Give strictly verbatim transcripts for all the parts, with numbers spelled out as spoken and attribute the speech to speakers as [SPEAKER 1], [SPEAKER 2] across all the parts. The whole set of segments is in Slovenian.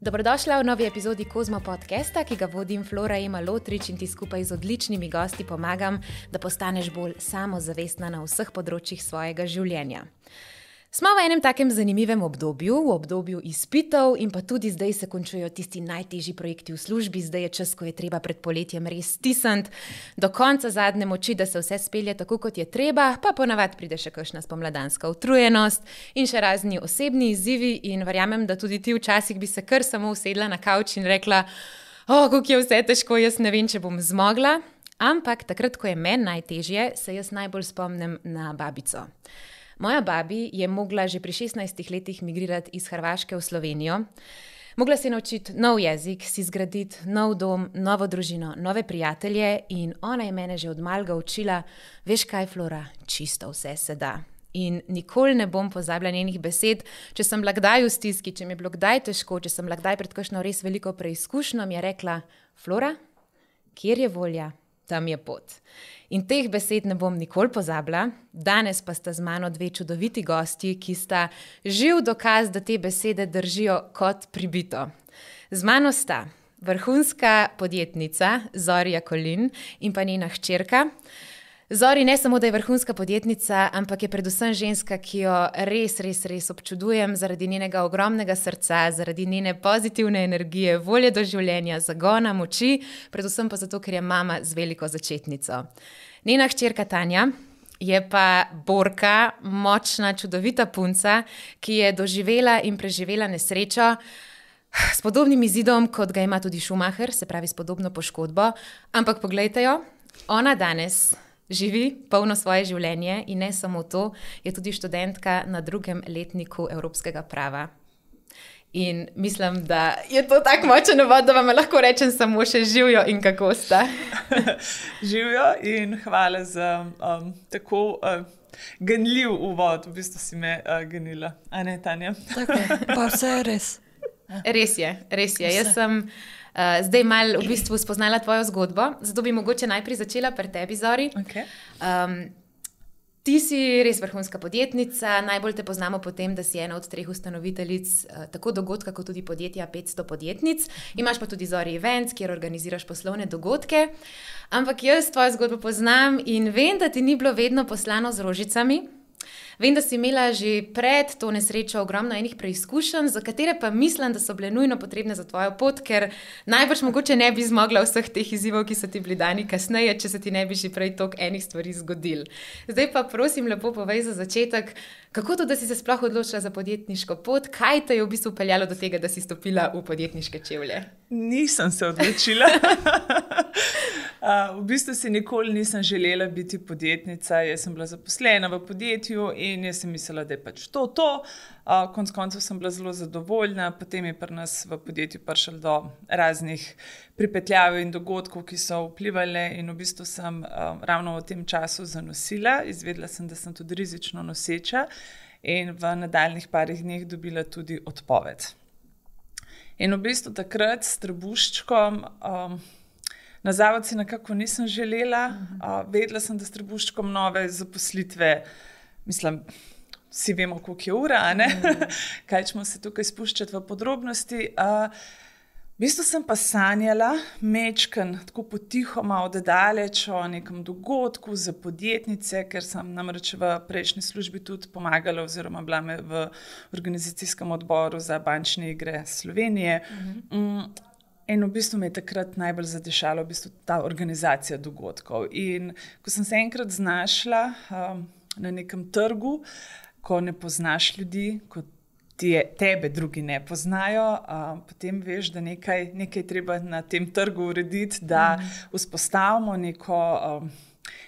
[SPEAKER 1] Dobrodošla v novi epizodi Kozmo podcasta, ki ga vodim Flora Ema Lotrič in ti skupaj z odličnimi gosti pomagam, da postaneš bolj samozavestna na vseh področjih svojega življenja. Smo v enem takem zanimivem obdobju, v obdobju izpitov in pa tudi zdaj se končujejo tisti najtežji projekti v službi, zdaj je čas, ko je treba pred poletjem res stisniti do konca zadnje moči, da se vse spelje tako, kot je treba, pa ponavadi pride še kakšna spomladanska utrujenost in še razni osebni izzivi in verjamem, da tudi ti včasih bi se kar samo usedla na kavč in rekla, o, kako je vse težko, jaz ne vem, če bom zmogla, ampak takrat, ko je meni najtežje, se jaz najbolj spomnim na babico. Moja babi je mogla že pri šestnajstih letih migrirati iz Hrvaške v Slovenijo. Mogla si naučiti nov jezik, si zgraditi nov dom, novo družino, nove prijatelje in ona je mene že od malega učila, veš kaj, Flora, čisto vse se da. In nikoli ne bom pozabila njenih besed, če sem bila kdaj v stiski, če mi je bilo kdaj težko, če sem bila kdaj pred kakšno res veliko preizkušnjo, mi je rekla, Flora, kjer je volja, tam je pot. In teh besed ne bom nikoli pozabila, danes pa sta z mano dve čudoviti gosti, ki sta živ dokaz, da te besede držijo kot pribito. Z mano sta vrhunska podjetnica Zori Jakolin in pa njena hčerka. Zori ne samo, da je vrhunska podjetnica, ampak je predvsem ženska, ki jo res, res, res občudujem zaradi njenega ogromnega srca, zaradi njene pozitivne energije, volje do življenja, zagona, moči, predvsem pa zato, ker je mama z veliko začetnico. Njena hčerka Tanja je pa borka, močna, čudovita punca, ki je doživela in preživela nesrečo s podobnim izidom, kot ga ima tudi Schumacher, se pravi s podobno poškodbo, ampak poglejte jo, ona danes živi polno svoje življenje in ne samo to, je tudi študentka na drugem letniku evropskega prava. In mislim, da je to tak močen uvod, da vam lahko rečem samo še živijo in kako sta.
[SPEAKER 2] Živijo in hvala za um, tako uh, ganljiv uvod, v bistvu si me uh, ganila. A ne, Tanja?
[SPEAKER 3] Tako je, pa vse je res.
[SPEAKER 1] Res je, res je. Jaz sem uh, zdaj malo v bistvu spoznala tvojo zgodbo, zato bi mogoče najprej začela pri tebi, Zori.
[SPEAKER 2] Okay.
[SPEAKER 1] Um, ti si res vrhunska podjetnica, najbolj te poznamo po tem, da si ena od treh ustanoviteljic uh, tako dogodka, kot tudi podjetja petsto podjetnic. Imaš pa tudi Zori Events, kjer organiziraš poslovne dogodke. Ampak jaz tvojo zgodbo poznam in vem, da ti ni bilo vedno poslano z rožicami. Vem, da si imela že pred to nesrečo ogromno enih preizkušenj, za katere pa mislim, da so bile nujno potrebne za tvojo pot, ker najbrž mogoče ne bi zmogla vseh teh izzivov, ki so ti bili dani kasneje, če se ti ne bi že prej toliko enih stvari zgodil. Zdaj pa prosim lepo povej za začetek, kako to, da si se sploh odločila za podjetniško pot, kaj te je v bistvu peljalo do tega, da si stopila v podjetniške čevlje?
[SPEAKER 2] Nisem se odločila. Uh, v bistvu si nikoli nisem želela biti podjetnica, jaz sem bila zaposlena v podjetju in jaz sem mislila, da je pač to to. Uh, konec koncev sem bila zelo zadovoljna, potem je pri nas v podjetju prišlo do raznih pripetljav in dogodkov, ki so vplivali in v bistvu sem uh, ravno v tem času zanosila. Izvedela sem, da sem tudi rizično noseča in v nadaljnjih parih dneh dobila tudi odpoved. In v bistvu takrat s trebuščkom um, na zavod si nekako nisem želela, uh, vedela sem, da s trebuščkom nove zaposlitve, mislim, vsi vemo, koliko je ura, ne? Kaj ćemo se tukaj spuščati v podrobnosti. Uh, v bistvu sem pa sanjala mečken, tako potihoma oddaleč o nekem dogodku za podjetnice, ker sem namreč v prejšnji službi tudi pomagala oziroma bila me v organizacijskem odboru za bančne igre Slovenije. Uh-huh. Um, In v bistvu me je takrat najbolj zadešala v bistvu ta organizacija dogodkov. In ko sem se enkrat znašla um, na nekem trgu, ko ne poznaš ljudi, ko ti je, tebe drugi ne poznajo, um, potem veš, da nekaj, nekaj treba na tem trgu urediti, da vzpostavimo neko, um,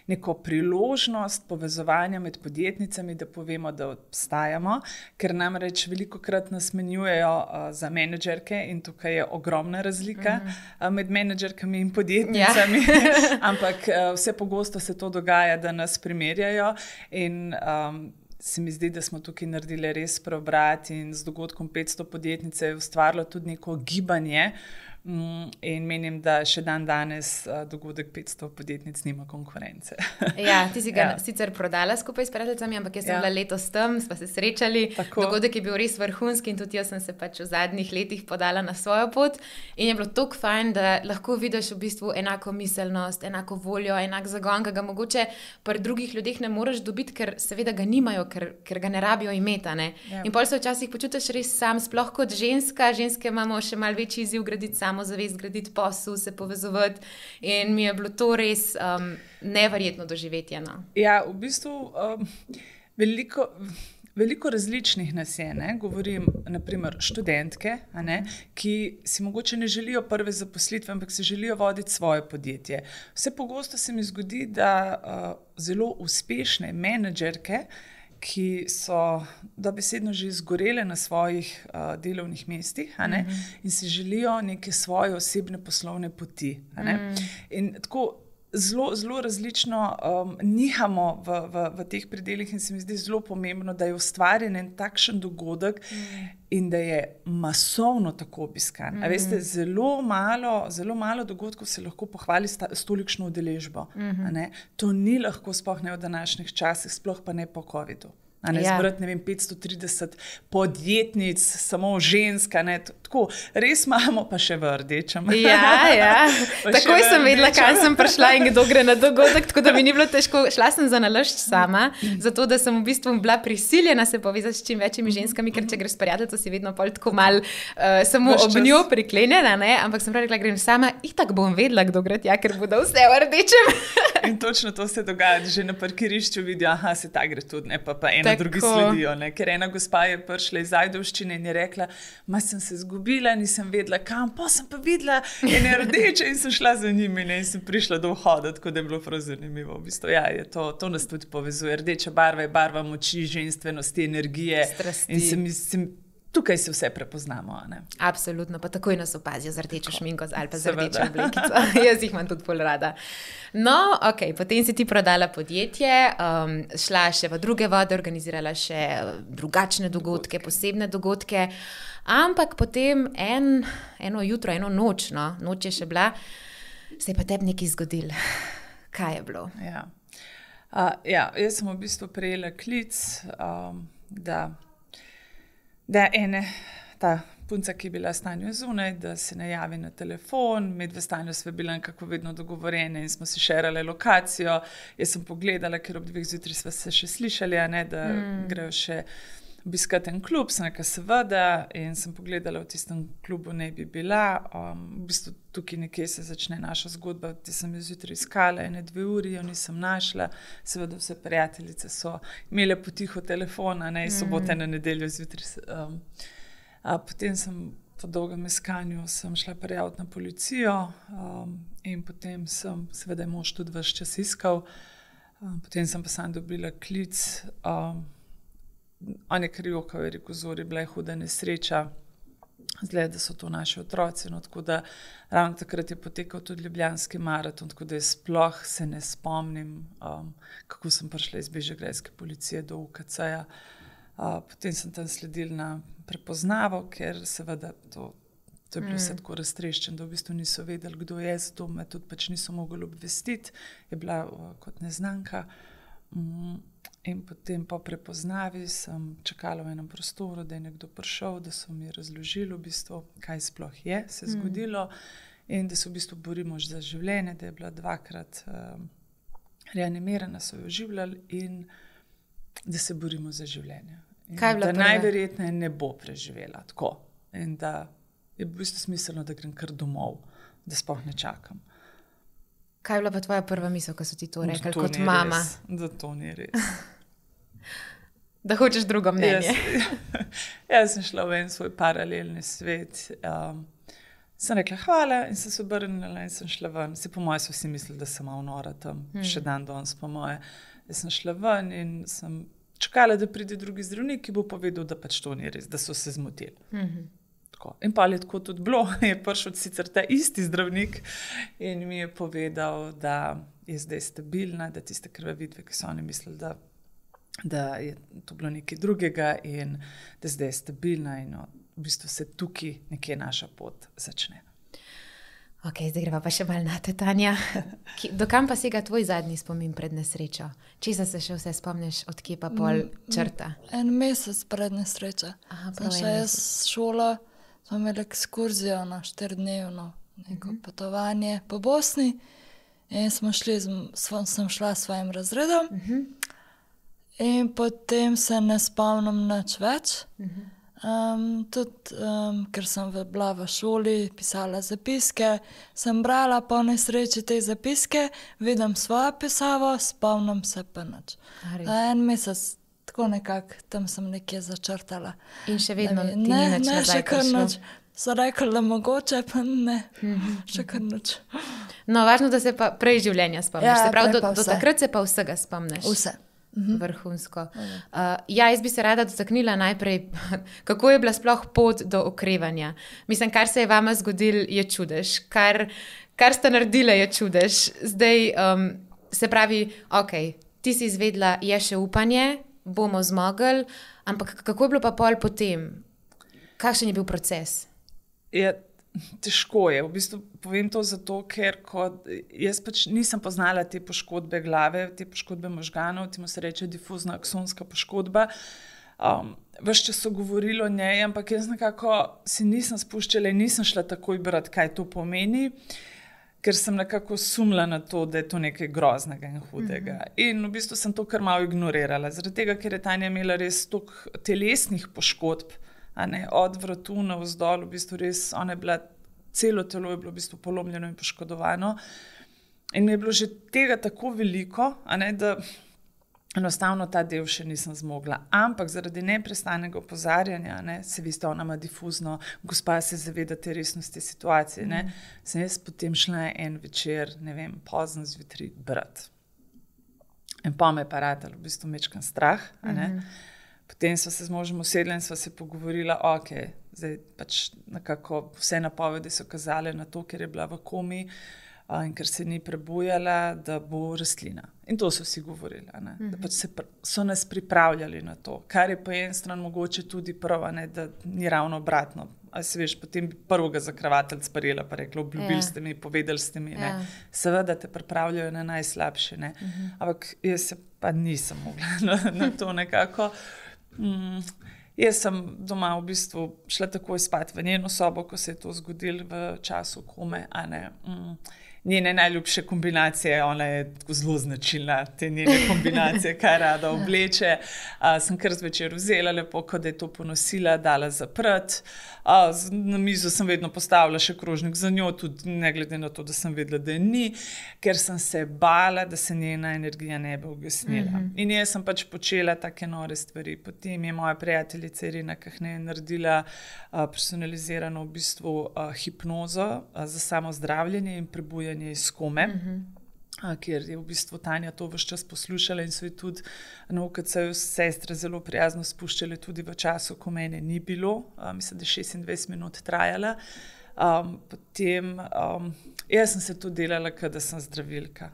[SPEAKER 2] neko priložnost povezovanja med podjetnicami, da povemo, da obstajamo, ker namreč velikokrat nas menjujejo uh, za menedžerke in tukaj je ogromna razlika uh, med menedžerkami in podjetnicami, ja. Ampak uh, vse pogosto se to dogaja, da nas primerjajo in um, se mi zdi, da smo tukaj naredili res preobrat in z dogodkom petsto podjetnice je ustvarilo tudi neko gibanje, In menim, da še dan danes dogodek petsto podjetnic nima konkurence.
[SPEAKER 1] Ja, ti si ga
[SPEAKER 2] Ja.
[SPEAKER 1] sicer prodala skupaj s prijateljicami, ampak jaz sem
[SPEAKER 2] Ja.
[SPEAKER 1] bila letos tam, sva se srečali.
[SPEAKER 2] Tako.
[SPEAKER 1] Dogodek je bil res vrhunski in tudi jaz sem se pač v zadnjih letih podala na svojo pot. In je bilo tako fajn, da lahko vidiš v bistvu enako miselnost, enako voljo, enak zagon, ki ga mogoče pri drugih ljudeh ne moreš dobiti, ker seveda ga nimajo, ker, ker ga ne rabijo imeti. Ne?
[SPEAKER 2] Ja.
[SPEAKER 1] In pol se včasih počutiš res sam, sploh kot ženska. Ženske imamo še malo večji izziv graditi samozavest, graditi posel, se povezovati. In mi je bilo to res um, neverjetno doživetje. No.
[SPEAKER 2] Ja, v bistvu um, veliko, veliko različnih nas je, ne? Govorim naprimer študentke, a ne? Ki si mogoče ne želijo prve zaposlitve, ampak si želijo voditi svoje podjetje. Vse pogosto se mi zgodi, da uh, zelo uspešne menedžerke, ki so dobesedno že izgorele na svojih uh, delovnih mestih, a ne? Mm-hmm. In si želijo neke svoje osebne poslovne poti. A ne? Mm. In tako zelo, zelo različno um, nihamo v, v, v teh predelih in se mi zdi zelo pomembno, da je ustvarjen en takšen dogodek mm. in da je masovno tako obiskan. Mm. A veste, zelo malo, zelo malo dogodkov se lahko pohvali sta, s tolikšno udeležbo. Mm-hmm. A ne? To ni lahko, sploh ne v današnjih časih, sploh pa ne po covidu. A ne, ja. Zbrati, ne vem, petsto trideset podjetnic, samo ženska, ne, tako, res imamo pa še v rdečem.
[SPEAKER 1] Ja, ja. Takoj sem vedela, kam sem prišla in kdo gre na dogodek, tako da mi ni bilo težko. Šla sem za nalašč sama, zato da sem v bistvu bila prisiljena se povezati s čim večjimi ženskami, ker če greš s prijateljico, si vedno pol tako mal uh, samo
[SPEAKER 2] Vaš
[SPEAKER 1] ob
[SPEAKER 2] čas.
[SPEAKER 1] njo priklenjena, ne, ampak sem prav rekla, grem sama, itak bom vedela, kdo gre tja, ker bodo vse v rdečem.
[SPEAKER 2] In točno to se dogaja, že na parkirišču vidijo, aha, se ta gre tudi, ne, pa, pa ena
[SPEAKER 1] Tako.
[SPEAKER 2] drugi sledijo, ne, ker ena gospa je prišla iz Ajdovščine in je rekla, ma sem se zgubila, nisem vedela kam, pa sem pa videla ene rdeče in sem šla za njimi, ne, in sem prišla do vhoda, tako da je bilo prav zanimivo. V bistvu, ja, je to, to nas tudi povezuje. Rdeča barva je barva moči, ženstvenosti, energije.
[SPEAKER 1] Strasti.
[SPEAKER 2] In se mislim, tukaj se vse prepoznamo, a ne.
[SPEAKER 1] Absolutno, pa takoj nas opazijo z rdečo šminko ali pa z
[SPEAKER 2] Seveda.
[SPEAKER 1] rdečo oblekico. Jaz jih imam tudi pol rada. No, ok, potem si ti prodala podjetje, um, šla še v druge vode, organizirala še drugačne dogodke, dogodke. posebne dogodke, ampak potem en, eno jutro, eno noč, no, noč je še bila, se je pa tebi nekaj zgodilo. Kaj je bilo?
[SPEAKER 2] Ja. Uh, ja, jaz sem v bistvu prejela klic, um, da da ene, ta punca, ki je bila v stanju zunaj, da se najavi na telefon, med v stanju sva bila nekako vedno dogovorjene in smo si šerale lokacijo. Jaz sem pogledala, ker ob dveh zjutraj sva se še slišali, a ne, da mm. grejo še obiskati en klub, sem nekaj seveda in sem pogledala, v tistem klubu ne bi bila. Um, v bistvu tukaj nekje se začne naša zgodba, ti sem jo zjutraj iskala, ene dve uri, jo nisem našla, seveda vse prijateljice so imele potiho telefon, a ne, iz sobote na nedeljo zjutraj. Um, a potem sem po dolgem iskanju sem šla prijaviti na policijo um, in potem sem, seveda je mož tudi ves čas iskal, um, potem sem pa sam dobila klic, um, on je kar jokal, je rekel, Zori, bila je huda nesreča, zgleda, da so to naši otroci, no, tako da ravno takrat je potekal tudi Ljubljanski maraton, tako da jaz sploh se ne spomnim, um, kako sem prišla iz bežigrajske policije do U K C-ja. Uh, potem sem tam sledila na prepoznavo, ker seveda to, to je bilo mm. vse tako raztreščeno, da v bistvu niso vedeli, kdo je, zato me tudi pač niso mogli obvestiti, je bila uh, kot neznanka. Mm. In potem po prepoznavi sem čakala v enem prostoru, da je nekdo prišel, da so mi razložili v bistvu, kaj sploh je se zgodilo mm. in da se v bistvu borimo za življenje, da je bila dvakrat um, reanimirana, so jo oživljali in da se borimo za življenje. In
[SPEAKER 1] kaj je bila
[SPEAKER 2] da
[SPEAKER 1] prva?
[SPEAKER 2] najverjetneje ne bo preživela tako in da je v bistvu smiselno, da grem kar domov, da sploh ne čakam.
[SPEAKER 1] Kaj je bila pa tvoja prva misel, ko so ti to rekli
[SPEAKER 2] To
[SPEAKER 1] kot
[SPEAKER 2] ni
[SPEAKER 1] mama?
[SPEAKER 2] Res, da to ni res.
[SPEAKER 1] Da hočeš drugo mnenje.
[SPEAKER 2] Jaz, jaz sem šla v en svoj paralelni svet. Um, sem rekla hvala in sem se obrnila in sem šla ven. Se po moje so vsi mislili, da sem malo nora tam, hmm. še dan danes po moje. Jaz sem šla ven in sem čakala, da pride drugi zdravnik, ki bo povedal, da pač to ni res, da so se zmotili. Hmm. Tako. In pa je tako tudi bilo, je prišel sicer ta isti zdravnik in mi je povedal, da je zdaj stabilna, da tiste krvavitve, ki so oni mislili, da da je to bilo nekaj drugega in da zdaj je stabilna in no, v bistvu se tukaj nekje naša pot začne.
[SPEAKER 1] Ok, zdaj greva pa še malo na te, Tanja. Ki, dokam pa sega tvoj zadnji spomin pred nesrečo? Česa se še vse spomniš, od kje pa pol črta?
[SPEAKER 3] En mesec pred nesrečo.
[SPEAKER 1] Aha,
[SPEAKER 3] Sem še jaz šola, smo imeli ekskurzijo na štiridnevno neko uh-huh. potovanje po Bosni in smo šli, z, sem šla s svojim razredom uh-huh. in potem se ne spomnim nič več. Uh-huh. Um, tudi, um, ker sem bila v šoli, pisala zapiske, sem brala po nesreči te zapiske, vidim svojo pisavo, spomnim se pa nič. En mesec, tako nekako, tam sem nekje začrtala.
[SPEAKER 1] In še vedno
[SPEAKER 3] ne,
[SPEAKER 1] ti ni
[SPEAKER 3] ne,
[SPEAKER 1] nič
[SPEAKER 3] ne,
[SPEAKER 1] nazaj
[SPEAKER 3] še kar
[SPEAKER 1] prišlo?
[SPEAKER 3] nič. So rekli, da mogoče, pa ne, še kar nič.
[SPEAKER 1] No, važno, da se pa prej življenja spomniš.
[SPEAKER 3] Ja,
[SPEAKER 1] se pravi, do,
[SPEAKER 3] prej pa
[SPEAKER 1] do
[SPEAKER 3] vse.
[SPEAKER 1] takrat se pa vsega spomniš.
[SPEAKER 3] Vse.
[SPEAKER 1] Vrhunsko. Uh, ja, jaz bi se rada dotaknila najprej, kako je bila sploh pot do okrevanja. Mislim, kar se je vama zgodilo, je čudež. Kar, kar sta naredila, je čudež. Zdaj, um, se pravi, ok, ti si izvedla, je še upanje, bomo zmogli, ampak kako je bilo pa pol potem? Kakšen je bil proces?
[SPEAKER 2] Je težko je. V bistvu povem to zato, ker kot, jaz pač nisem poznala te poškodbe glave, te poškodbe možganov, temu se reče difuzna aksonska poškodba. Um, ves čas so govorili o njej, ampak jaz nekako si nisem spuščala in nisem šla takoj brati, kaj to pomeni, ker sem nekako sumila na to, da je to nekaj groznega in hudega. Mm-hmm. In v bistvu sem to kar malo ignorirala, zaradi tega, ker je Tanja imela res toliko telesnih poškodb, a ne, od vratu navzdol, v bistvu res, ona je bila, celo telo je bilo v bistvu polomljeno in poškodovano. In mi je bilo že tega tako veliko, a ne, da enostavno ta del še nisem zmogla. Ampak zaradi neprestanega opozarjanja, ne, se veste, ona ima difuzno, gospa se zaveda te resnosti situacije, ne, mm. sem jaz potem šla en večer, ne vem, pozno zjutraj brati. In pa me je pa ratalo, v bistvu mečkan strah, a ne. Mm-hmm. Potem sva se z možem usedla in sva se pogovorila, ok, zdaj pač nekako vse napovedi so kazale na to, ker je bila v komi a, in ker se ni prebujala, da bo rastlina. In to so vsi govorili, a ne? Mm-hmm. Da pač se, so nas pripravljali na to, kar je po en stran mogoče tudi prav, a ne, da ni ravno obratno. A se veš, potem bi prvega zakravatelj sprejela pa rekla, obljubili ste mi, povedali ste mi, ne. Ja. Seveda te pripravljajo na najslabše, ne. Mm-hmm. Ampak jaz se pa nisem mogla na, na to nekako. Mm, jaz sem doma v bistvu šla takoj spat v njeno sobo, ko se je to zgodilo v času kome, a ne. Mm, njene najljubše kombinacije, ona je tako zelo značilna, te njene kombinacije, kaj rada obleče. A, sem kar zvečer vzela lepo, ko da je to ponosila, dala zaprt. A, na mizo sem vedno postavila še krožnik za njo, tudi ne glede na to, da sem vedela, da je ni, ker sem se bala, da se njena energija ne bi ugasnila. Mm-hmm. In jaz sem pač počela take nore stvari. Potem je moja prijateljica Irina Kahne naredila a, personalizirano v bistvu a, hipnozo a, za samozdravljenje in prebujanje iz kome, mm-hmm. a, kjer je v bistvu Tanja to ves čas poslušala in so ji tudi na U K C-ju sestre zelo prijazno spuščale tudi v času, ko mene ni bilo. A, mislim, da je šestindvajset minut trajala. Um, potem, um, jaz sem se to delala, kada sem zdravilka.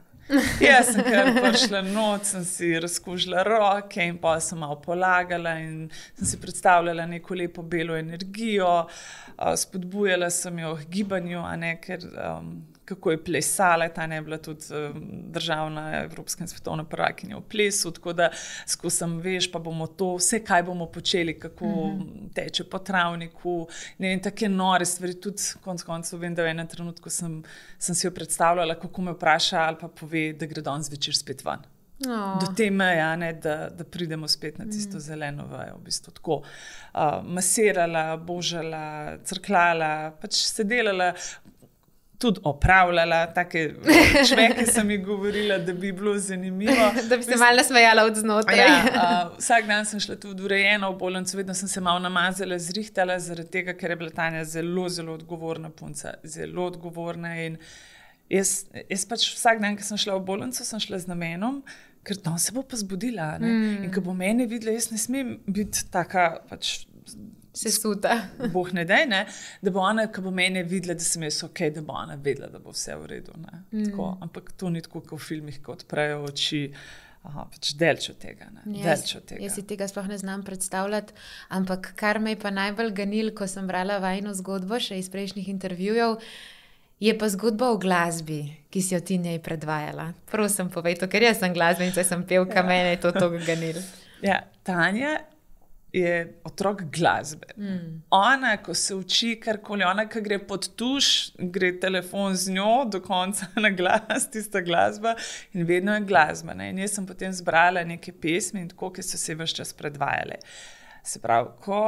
[SPEAKER 2] Jaz sem kar prišla noč, sem si razkužila roke in pa sem malo polagala in sem si predstavljala neko lepo belo energijo, uh, spodbujala sem jo k gibanju, a ne, ker um, kako je plesala, ta ne je bila tudi um, državna evropska in svetovna prvakinja v plesu, tako da skozi sem, veš, pa bomo to, vse kaj bomo počeli, kako mm-hmm. teče po travniku, ne vem, take nore stvari, tudi konc koncev vem, da v enem trenutku sem, sem si jo predstavljala, kako me vpraša ali pa pove, da gre danes večer spet ven. Oh. Do te meje, ne, da, da pridemo spet na tisto mm. zeleno vejo, v bistvu tako. Uh, masirala, božala, crklala, pač se delala, tudi opravljala, take čveke sem ji govorila, da bi bilo zanimivo.
[SPEAKER 1] Da bi se malo nasmejala od znotraj.
[SPEAKER 2] Ja, uh, vsak dan sem šla tudi urejena v bolnico, vedno sem se malo namazala, zrihtala, zaradi tega, ker je bila Tanja zelo, zelo odgovorna punca, zelo odgovorna in jaz, jaz pač vsak dan, ko sem šla v bolnico, sem šla z namenom, ker tam se bo pa zbudila, ne? Mm. In ko bo mene videla, jaz ne smem biti taka pač
[SPEAKER 1] sesuta.
[SPEAKER 2] Boh ne daj, ne? Da bo ona, ko bo mene videla, da sem jaz ok, da bo ona vedela, da bo vse v redu. Ne? Mm. Tako, ampak to ni tako, kot v filmih, ko odprejo oči. Aha, pač delč od tega. Ne?
[SPEAKER 1] Ja,
[SPEAKER 2] delč od tega.
[SPEAKER 1] Jaz si tega sploh ne znam predstavljati, ampak kar me je pa najbolj ganil, ko sem brala vajino zgodbo še iz prejšnjih intervjujev, Je pa zgodba o glasbi, ki si jo ti njej predvajala. Prosim, povej to, ker jaz sem glasbenica, sem pevka, ja. Mene je to toliko ganilo.
[SPEAKER 2] Ja, Tanja je otrok glasbe. Mm. Ona, ko se uči karkoli, ona, ko gre pod tuš, gre telefon z njo do konca na glas, tista glasba in vedno je glasba. Ne? In jaz sem potem zbrala neke pesmi in tako, ki so se vse čas predvajale. Se pravi, ko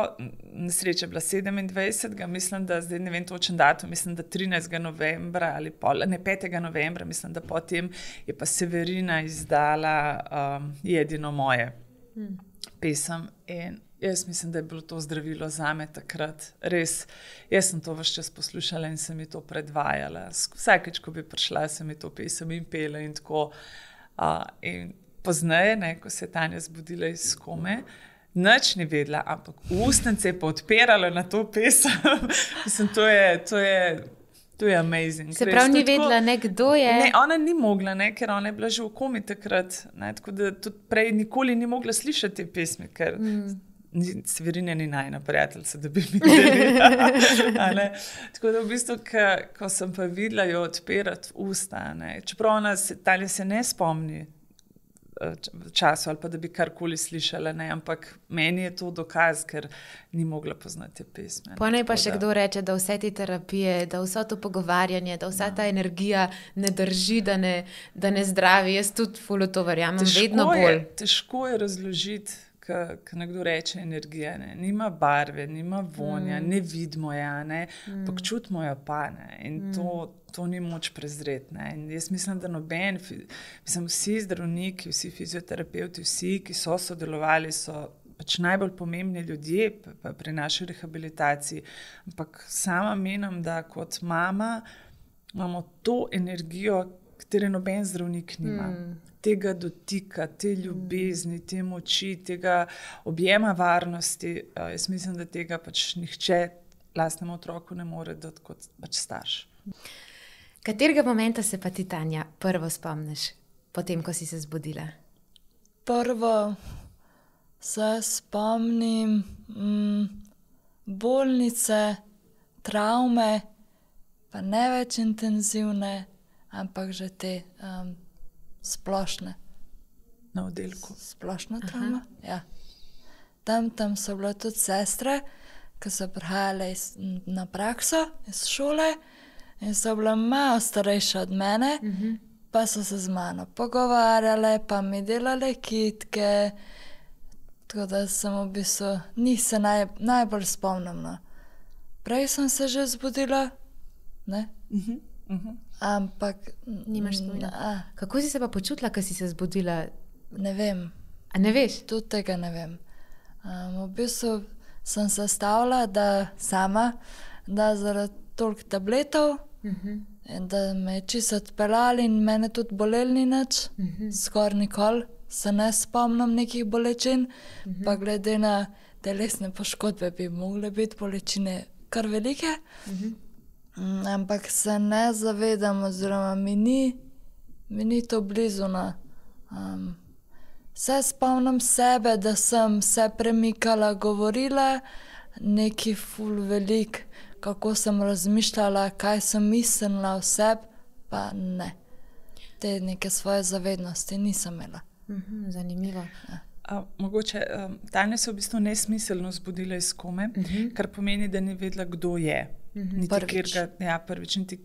[SPEAKER 2] nesreča je bila sedemindvajsetega, mislim, da zdaj ne vem točen datum, mislim, da trinajstega novembra ali pol, ne petega novembra, mislim, da potem je pa Severina izdala um, Jedino moje hmm. pesem in jaz mislim, da je bilo to zdravilo zame takrat. Res, jaz sem to vse čas poslušala in sem mi to predvajala. Vsakeč, ko bi prišla, sem mi to pesem in pela in tako. Uh, in pozneje, ne, ko se je Tanja zbudila iz kome, nič ni vedela, ampak ustnice je pa odpirala na to pesem. Mislim, to je, to je, to je amazing.
[SPEAKER 1] Se pravi, ni vedela, ne, kdo je?
[SPEAKER 2] Ne, ona ni mogla, ne, ker ona je bila že v komi takrat. Ne, tako da tudi prej nikoli ni mogla slišati te pesmi, ker mm. Severina ni najna prijateljica, da bi mi delila. Tako da v bistvu, ka, ko sem pa videla jo odpirati usta, ne, čeprav ona se, Tanja se ne spomni v času ali pa da bi karkoli slišala, ne, ampak meni je to dokaz, ker ni mogla poznati pesme.
[SPEAKER 1] Pa ne pa še da... kdo reče, da vse te terapije, da vse to pogovarjanje, da vsa ta energija ne drži, da ne, da ne zdravi. Jaz tudi ful v to verjamem, vedno bolj.
[SPEAKER 2] Je, težko je razložiti, ko nekdo reče energija, ne, nima barve, nima vonja, mm. ne vidimo ja, ne, mm. pa čutimo jo pa, ne, in mm. to, to ni moč prezreti, ne, in jaz mislim, da noben, mislim, vsi zdravniki, vsi fizioterapeuti, vsi, ki so sodelovali, so pač najbolj pomembni ljudje pri naši rehabilitaciji, ampak sama menim, da kot mama imamo to energijo, katere noben zdravnik nima. Mm. Tega dotika, te ljubezni, te moči, tega objema varnosti. Jaz mislim, da tega pač nihče lastnemu otroku ne more dati kot pač starš.
[SPEAKER 1] Katerega momenta se pa ti, Tanja, prvo spomniš, potem, ko si se zbudila?
[SPEAKER 3] Prvo se spomnim mm, bolnice, travme, pa ne več intenzivne, ampak že te um, splošne.
[SPEAKER 2] Na oddelku.
[SPEAKER 3] Splošna travma, ja. Tam, tam so bile tudi sestre, ki so prihajale iz, na prakso iz šole in so bile malo starejše od mene, uh-huh. pa so se z mano pogovarjale, pa mi delale kitke, tako da sem v bistvu, njih se naj, najbolj spomnim. No. Prej sem se že zbudila, ne? Uh-huh. Uh-huh. Ampak
[SPEAKER 1] nimaš spomina. Kako si se pa počutila, ko si se zbudila?
[SPEAKER 3] Ne vem.
[SPEAKER 1] A ne veš?
[SPEAKER 3] Tudi tega ne vem. Um, v bistvu sem se stavila, da sama, da zaradi toliko tabletov uh-huh. in da me je čisto odpeljali in mene tudi boleli nič. Uh-huh. Skoraj nikoli se ne spomnim nekih bolečin, uh-huh. pa glede na telesne poškodbe bi mogle biti bolečine kar velike. Uh-huh. Ampak se ne zavedam, oziroma mi ni, mi ni to blizu. Um, se spomnim sebe, da sem se premikala, govorila neki ful velik, kako sem razmišljala, kaj sem mislila o sebi, pa ne. Te neke svoje zavednosti nisem imela.
[SPEAKER 1] Mhm, zanimivo.
[SPEAKER 3] Ja.
[SPEAKER 2] A, mogoče, um, Tanja se v bistvu nesmiselno zbudila iz kome, uh-huh. kar pomeni, da ni vedela, kdo je. Uh-huh. Niti
[SPEAKER 3] prvič.
[SPEAKER 2] Kjer, ga, ja, prvič, niti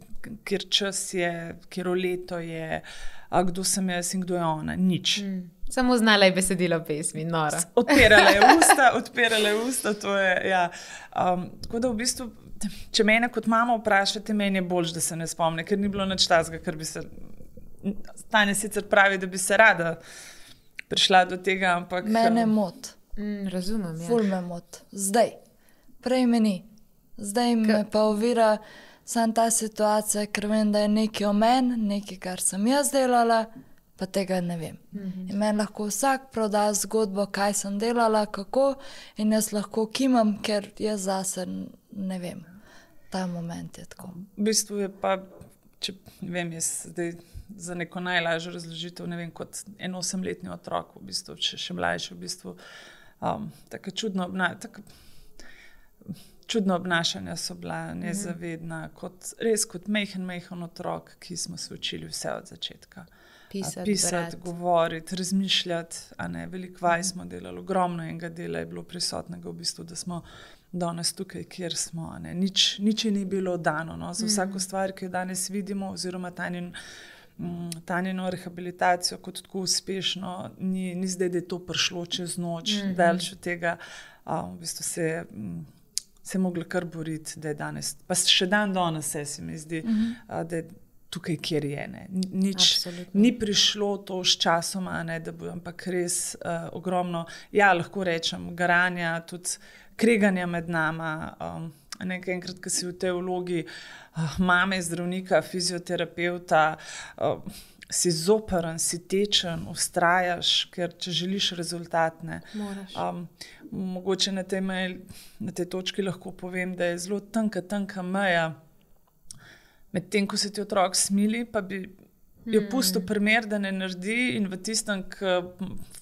[SPEAKER 2] kjer čas je, kjer leto je, a kdo sem jaz in kdo je ona. Nič.
[SPEAKER 1] Uh-huh. Samo znala je besedilo pesmi, nora.
[SPEAKER 2] Odpirala je usta, odpirala je usta, to je, ja. Um, tako da v bistvu, če mene kot mama vprašate, meni je boljš, da se ne spomne, ker ni bilo nič tazga, ker bi se, Tanja sicer pravi, da bi se rada prišla do tega, ampak...
[SPEAKER 3] Mene mot.
[SPEAKER 1] Mm, razumem, ja.
[SPEAKER 3] Ful me mot. Zdaj. Prej me ni. Zdaj K... me pa ovira sam ta situacija, ker vem, da je nekaj o meni, nekaj, kar sem jaz delala, pa tega ne vem. Mm-hmm. In meni lahko vsak proda zgodbo, kaj sem delala, kako, in jaz lahko kimam, ker jaz zase ne vem. Ta moment je tako.
[SPEAKER 2] V bistvu je pa, če ne vem, jaz zdaj za neko najlažjo razložitev, ne vem, kot en osemletni otrok, v bistvu, če še mlajši, v bistvu, um, tako čudno, na, tako čudna obnašanja so bila, nezavedna, kot, res kot mehen, mehen otrok, ki smo se učili vse od začetka.
[SPEAKER 1] Pisati,
[SPEAKER 2] Pisati govoriti, razmišljati, a ne, veliko vaj smo delali, ogromno enega dela je bilo prisotnega v bistvu, da smo danes tukaj, kjer smo, a ne, nič, nič ni bilo dano, no, za vsako stvar, ki jo danes vidimo, oziroma Tanjin, Tanjino rehabilitacijo kot tako uspešno, ni, ni zdaj, da je to prišlo čez noč, mm-hmm. daleč od tega, a, v bistvu se je se mogla kar boriti, da je danes, pa še dan danes se, se mi zdi, mm-hmm. a, da je tukaj, kjer je, ne. Nič, ni prišlo to s časom, a ne, da bo, ampak res uh, ogromno, ja, lahko rečem, garanja, tudi kreganja med nama, um, nekaj enkrat, ko si v tej vlogi uh, mame, zdravnika, fizioterapeuta, uh, si zoperen, si tečen, ustrajaš, ker če želiš rezultat, ne. Um, mogoče na tej, mej, na tej točki lahko povem, da je zelo tanka, tanka meja, med tem, ko se ti otrok smili, pa bi jo pustil primer, da ne naredi in v tistem, ko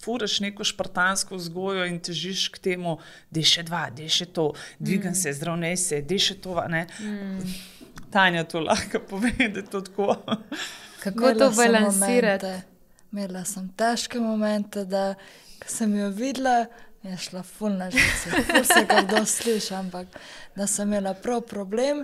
[SPEAKER 2] furaš neko špartansko vzgojo in težiš k temu, dej še dva, dej še to, dvigam mm. se, zdravnej se, dej še to, ne. Mm. Tanja to lahko pove, da je to tako.
[SPEAKER 1] Kako to balansirati?
[SPEAKER 3] Imela sem težke momente, da ko sem jo videla, je šla ful na žice, ful se ga kdo sliši, ampak da sem imela prav problem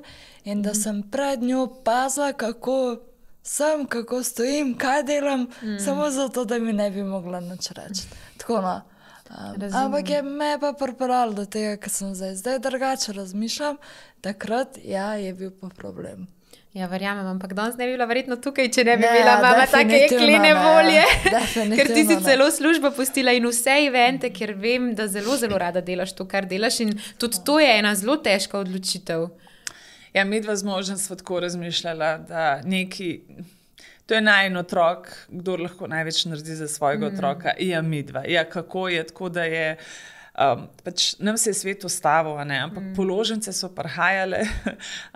[SPEAKER 3] in da sem pred njo pazila, kako sem, kako stojim, kaj delam, mm. samo zato, da mi ne bi mogla nič reči. Tako no. Um, ampak je me pa pripeljalo do tega, ker sem zdaj, zdaj drugače razmišljam, takrat, ja, je bil pa problem.
[SPEAKER 1] Ja, verjamem, ampak danes ne bi bila verjetno tukaj, če ne bi ne, bila mama take jeklene volje, ker ti si celo službo pustila in vse evente, ker vem, da zelo, zelo rada delaš to, kar delaš in tudi to je ena zelo težka odločitev.
[SPEAKER 2] Ja, midva z možem sva tako razmišljala, da neki, to je najin otrok, kdo lahko največ naredi za svojega mm. otroka, ja, midva. Ja, kako je, tako da je, um, pač nam se je svet ustavil, a ne, ampak mm. položnice so prihajale,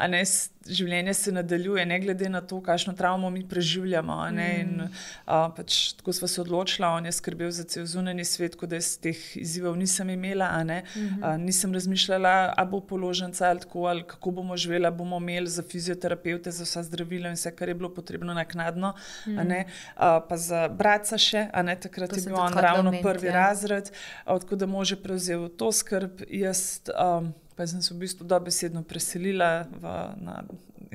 [SPEAKER 2] a ne, življenje se nadaljuje, ne glede na to, kakšno travmo mi preživljamo. A ne? In, a, pač, tako sva se odločila, on je skrbel za cel zunanji svet, ko da jaz teh izzivov nisem imela. A ne? A, nisem razmišljala, a bo položnica ali tako, ali kako bomo živela, bomo imeli za fizioterapeute, za vsa zdravila in vse, kar je bilo potrebno naknadno. A ne? A, pa za bratca še, a ne, takrat je bil on ravno prvi ja. razred, a, tako da mož je prevzel to skrb. Jaz um, pa sem se v bistvu dobesedno preselila v, na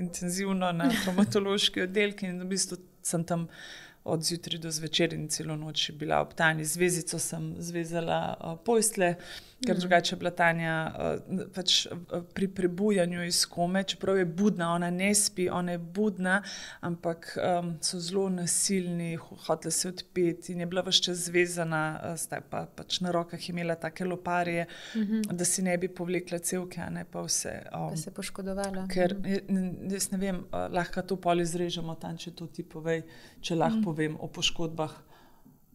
[SPEAKER 2] intenzivno na traumatološki oddelek in v bistvu sem tam od zjutraj do zvečer in celo noč bila ob Tanji. Z vezico sem zvezala uh, postelje, ker drugače je bila Tanja uh, pač uh, pri prebujanju iz kome, čeprav je budna, ona ne spi, ona je budna, ampak um, so zelo nasilni, hotela se odpeti in je bila ves čas zvezana, uh, zdaj pa pač na rokah imela take loparje, mm-hmm. da si ne bi povlekla cevke, a ne pa vse. Um,
[SPEAKER 1] pa se poškodovala.
[SPEAKER 2] Ker, jaz ne vem, uh, lahko to pol izrežemo, tam, če to ti povej, če lahko mm. povem o poškodbah.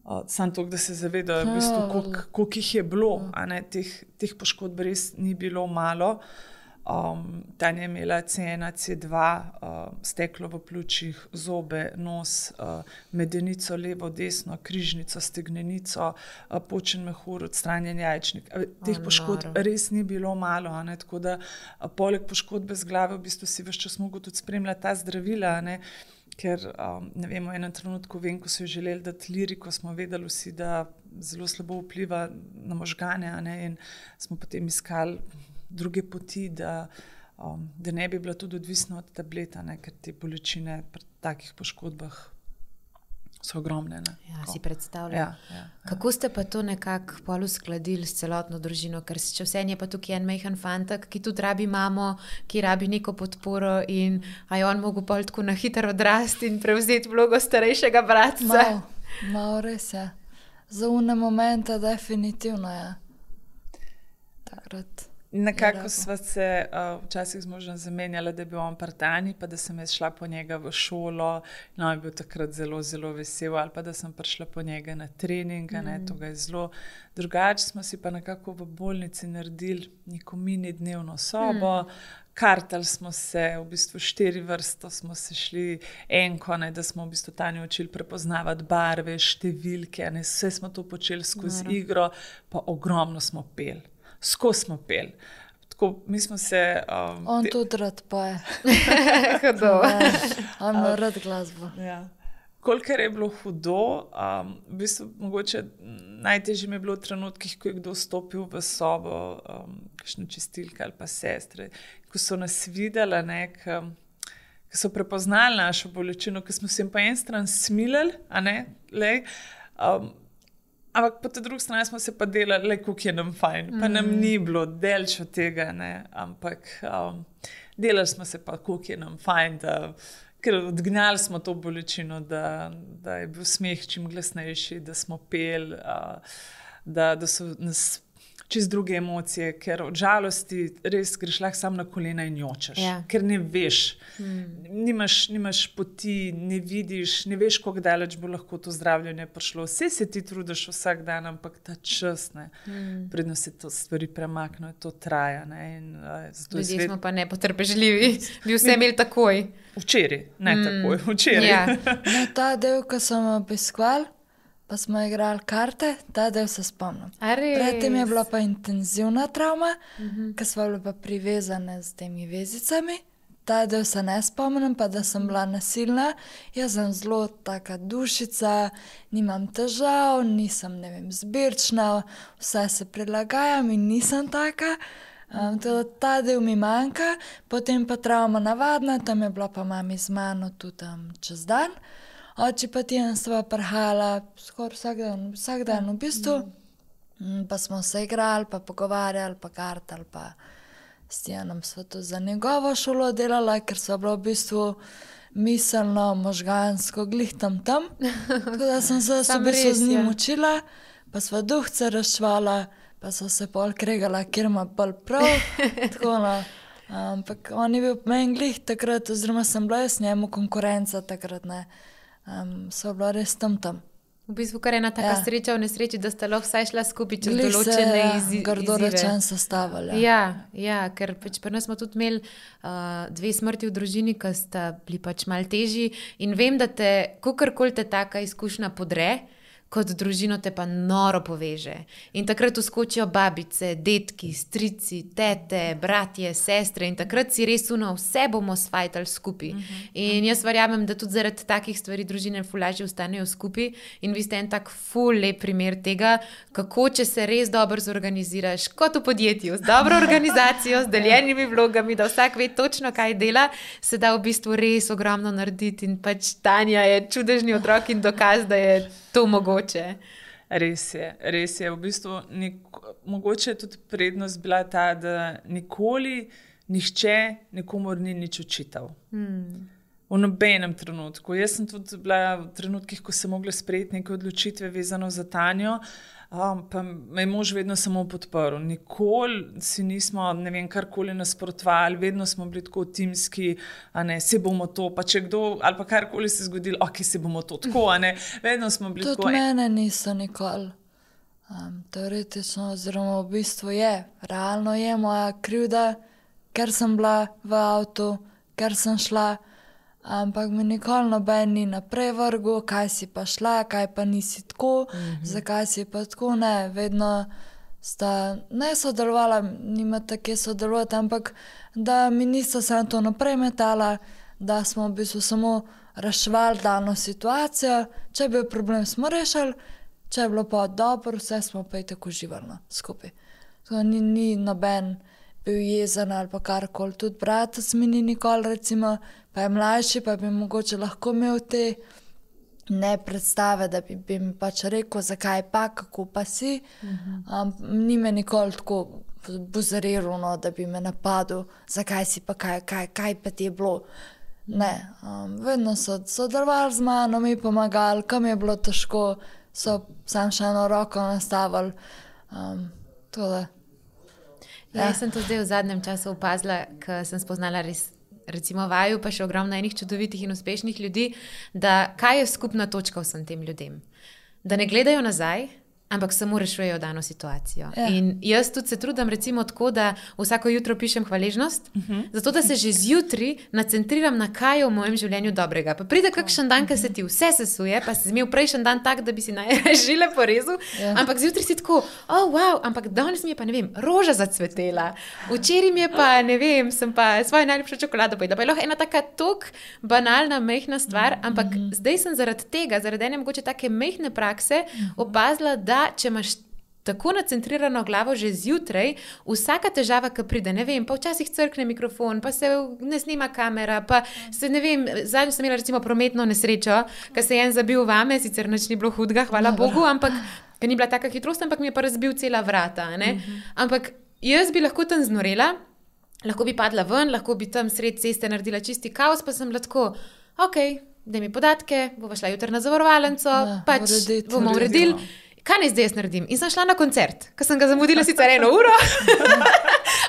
[SPEAKER 2] Uh, sam to, da se zavedajo, v bistvu, koliko, koliko jih je bilo, a ne, teh, teh poškodb res ni bilo malo. Um, Tanja je imela C ena, C dva, uh, steklo v pljučih, zobe, nos, uh, medenico levo, desno, križnico, stegnenico, uh, počen mehur, odstranjen jajčnik. Uh, teh oh, poškodb naro. res ni bilo malo, a ne, tako da uh, poleg poškodbe z glave v bistvu si ves čas mogel tudi spremljati ta zdravila, a ne. Ker, um, ne vem, v enem trenutku vem, ko so jo želeli dati liriko, smo vedeli vsi, da zelo slabo vpliva na možgane, a ne, in smo potem iskali druge poti, da, um, da ne bi bila tudi odvisna od tableta, ne, ker te bolečine pri takih poškodbah so ogromne. Ne?
[SPEAKER 1] Ja, si predstavljam.
[SPEAKER 2] Ja, ja, ja.
[SPEAKER 1] Kako ste pa to nekako pol uskladili s celotno družino? Ker če vse je pa tukaj en majhen fantak, ki tudi rabi mamo, ki rabi neko podporo in a je on mogel pol tako na hitro odrasti in prevzeti vlogo starejšega bratca?
[SPEAKER 3] Mal, mal res je. Za une momente definitivno je. Takrat.
[SPEAKER 2] Nekako sva se uh, včasih z možem zamenjala, da je bil on pri Tanji, pa da sem jaz šla po njega v šolo, no, je bil takrat zelo, zelo vesel, ali pa da sem prišla po njega na trening, mm. ne, to ga je zelo drugače. Smo si pa nekako v bolnici naredili neko mini dnevno sobo, mm. kartali smo se, v bistvu štiri vrsto smo se šli enko, ne, da smo v bistvu Tanjo učili prepoznavati barve, številke, ne, vse smo to počeli skozi Nara. igro, pa ogromno smo peli. Skozi smo peli. tako, mi smo se... Um,
[SPEAKER 3] On
[SPEAKER 2] te...
[SPEAKER 3] tudi rad poje.
[SPEAKER 1] Hudo.
[SPEAKER 3] On ima rad glasbo.
[SPEAKER 2] Ja. Kolikor je bilo hudo, um, v bistvu mogoče najtežje mi je bilo v trenutkih, ko je kdo stopil v sobo, um, kakšne čistilke ali pa sestre, ko so nas videli, ne, k, ko so prepoznali našo bolečino, ko smo se jim po en stran smilili, a ne, lej, um, ampak po tej drugi strani smo se pa delali, le, kako je nam fajn, pa nam ni bilo delč od tega, ne, ampak um, delali smo se pa, kako je nam fajn, da ker odgnali smo to bolečino, da, da je bil smeh čim glasnejši, da smo peli, da, da so nas čez druge emocije, ker od žalosti res greš lahko sam na kolena in jočeš,
[SPEAKER 1] Ja.
[SPEAKER 2] ker ne veš,
[SPEAKER 1] Hmm.
[SPEAKER 2] nimaš, nimaš poti, ne vidiš, ne veš, kako daleč bo lahko to zdravljenje prišlo. Vse se ti trudiš vsak dan, ampak ta čas, ne,
[SPEAKER 1] Hmm.
[SPEAKER 2] predno se to stvari premaknejo, to traja. Ne, in, uh, zato je
[SPEAKER 1] Ljudje
[SPEAKER 2] svet...
[SPEAKER 1] smo pa nepotrpežljivi, bi vse imeli takoj.
[SPEAKER 2] Včeraj, ne
[SPEAKER 1] Mm.
[SPEAKER 2] takoj, včeraj.
[SPEAKER 1] Ja.
[SPEAKER 3] No, ta del, ko smo obiskvali, pa smo igrali karte, ta del se spomnim.
[SPEAKER 1] A res?
[SPEAKER 3] Predtem je bila pa intenzivna travma, uh -huh. ker smo bili pa privezane z temi vezicami. Ta del se ne spomnim, pa da sem bila nasilna. Jaz sem zelo taka dušica, nimam težav, nisem, ne vem, zbirčna, vse se prilagajam in nisem taka. Um, teda ta del mi manjka, potem pa travma navadna, tam je bila pa mami z mano tudi um, čez dan. Oči pa tijem sva prhala skoraj vsak dan, vsak dan v bistvu. Mm, pa smo se igrali, pa pogovarjali, pa kartali, pa s Tijanom sva tudi za njegovo šolo delala, ker sva bila v bistvu miselno, možgansko glih tam tam. Tako da sem se v
[SPEAKER 1] Samo
[SPEAKER 3] bistvu
[SPEAKER 1] res,
[SPEAKER 3] z njim
[SPEAKER 1] ja.
[SPEAKER 3] učila, pa sva duhce razšvala, pa so se pol kregala, kjer ima bolj prav. Tako no. Ampak on je bil meni glih takrat, oziroma sem bila jaz njemu konkurenca takrat, ne. Um, sva bila res tam tam.
[SPEAKER 1] V bistvu kar ena taka
[SPEAKER 3] Ja.
[SPEAKER 1] sreča v nesreči, da sta lahko vsaj šla skupaj čez
[SPEAKER 3] Glih
[SPEAKER 1] določene
[SPEAKER 3] ja,
[SPEAKER 1] izi,
[SPEAKER 3] grdo
[SPEAKER 1] izzive.
[SPEAKER 3] rečen sestavili.
[SPEAKER 1] Ja, ja, ker pač pri nas smo tudi imeli uh, dve smrti v družini, ki sta bili pač malo težji in vem, da te, kakorkoli te taka izkušnja podre, kot družino te pa noro poveže. In takrat vskočijo babice, detki, strici, tete, bratje, sestre in takrat si res uno, vse bomo sfajtali skupaj. In jaz verjamem, da tudi zaradi takih stvari družine ful lažje ostanejo skupaj in vi ste en tak ful lep primer tega, kako če se res dobro zorganiziraš, kot v podjetju, z dobro organizacijo, z deljenimi vlogami, da vsak ve točno, kaj dela, se da v bistvu res ogromno narediti in pač Tanja je čudežni otrok in dokaz, da je to mogoče.
[SPEAKER 2] Res je, res je. V bistvu nik, mogoče je tudi prednost bila ta, da nikoli nihče nikomor ni nič očital.
[SPEAKER 1] Hmm.
[SPEAKER 2] V nobenem trenutku. Jaz sem tudi bila v trenutkih, ko sem mogla sprejeti neke odločitve vezano za Tanjo, um, pa me je mož vedno samo podprl. Nikoli si nismo, ne vem, karkoli nasprotovali, vedno smo bili tako timski, a ne, se bomo to, pa če kdo, ali pa karkoli se zgodilo, ok, se bomo to tako, a ne, vedno smo bili
[SPEAKER 3] Tudi
[SPEAKER 2] tako.
[SPEAKER 3] mene niso nikoli. Um, teoretično, oziroma v bistvu je, realno je moja krivda, ker sem bila v avtu, ker sem šla, ampak mi nikoli noben ni naprej vrgel, kaj si pa šla, kaj pa nisi tako, mm-hmm. zakaj si pa tako, ne, vedno sta ne sodelovala, nima tako sodelovati, ampak da mi nista samo to naprej metala, da smo v bistvu samo reševali dano situacijo, če je bil problem, smo rešili, če je bilo pa dobro, vse smo pa i tako uživali no, skupaj. Tako ni, ni noben bil jezen ali pa karkoli, tudi bratec mi ni nikoli, recimo, pa je mlajši, pa bi mogoče lahko imel te ne predstave, da bi, bi mi pač rekel, zakaj pa, kako pa si. Mm-hmm. Um, ni me nikoli tako buzariral, no, da bi me napadel, zakaj si pa, kaj, kaj, kaj pa ti je bilo. Ne, um, vedno so sodelovali z mano, mi pomagali, kam je bilo težko, so sam še eno roko nastavili. Um, tole.
[SPEAKER 1] Ja, jaz sem to zdaj v zadnjem času opazila, ker sem spoznala res, recimo vaju, pa še ogromno enih čudovitih in uspešnih ljudi, da kaj je skupna točka vsem tem ljudem? Da ne gledajo nazaj, ampak samo rešujejo dano situacijo.
[SPEAKER 3] Ja.
[SPEAKER 1] In jaz tudi se trudim recimo tako, da vsako jutro pišem hvaležnost, uh -huh. zato da se že zjutri nacentriram na kaj je v mojem življenju dobrega. Pa pride kakšen dan, ko se ti vse sesuje, pa si imel prejšnji dan tak, da bi si najžile porezal, ja. ampak zjutri si tako, oh wow, ampak danes mi je pa, ne vem, roža zacvetela, včeraj mi je pa, ne vem, sem pa svojo najljubšo čokolado pojedla, pa je lahko ena taka tok banalna, mehna stvar, ampak uh -huh. zdaj sem zaradi tega, zaradi ene mogoče take mehne prakse opazila, da če imaš tako nacentrirano glavo že zjutraj, vsaka težava, ki pride, ne vem, pa včasih crkne mikrofon, pa se ne snima kamera, pa se, ne vem, zadnjo sem imela recimo prometno nesrečo, ker se je en zabil vame, sicer nič ni bilo hudega, hvala Bogu, ampak ker ni bila taka hitrost, ampak mi je pa razbil cela vrata, ne? Ampak jaz bi lahko tam znorela, lahko bi padla ven, lahko bi tam sred ceste naredila čisti kaos, pa sem lahko, ok, daj mi podatke, bova šla jutri na zavarovalnico, ja, pač uredit, bomo uredili. Kaj ne zdaj jaz naredim? In sem šla na koncert, ker sem ga zamudila sicer eno uro,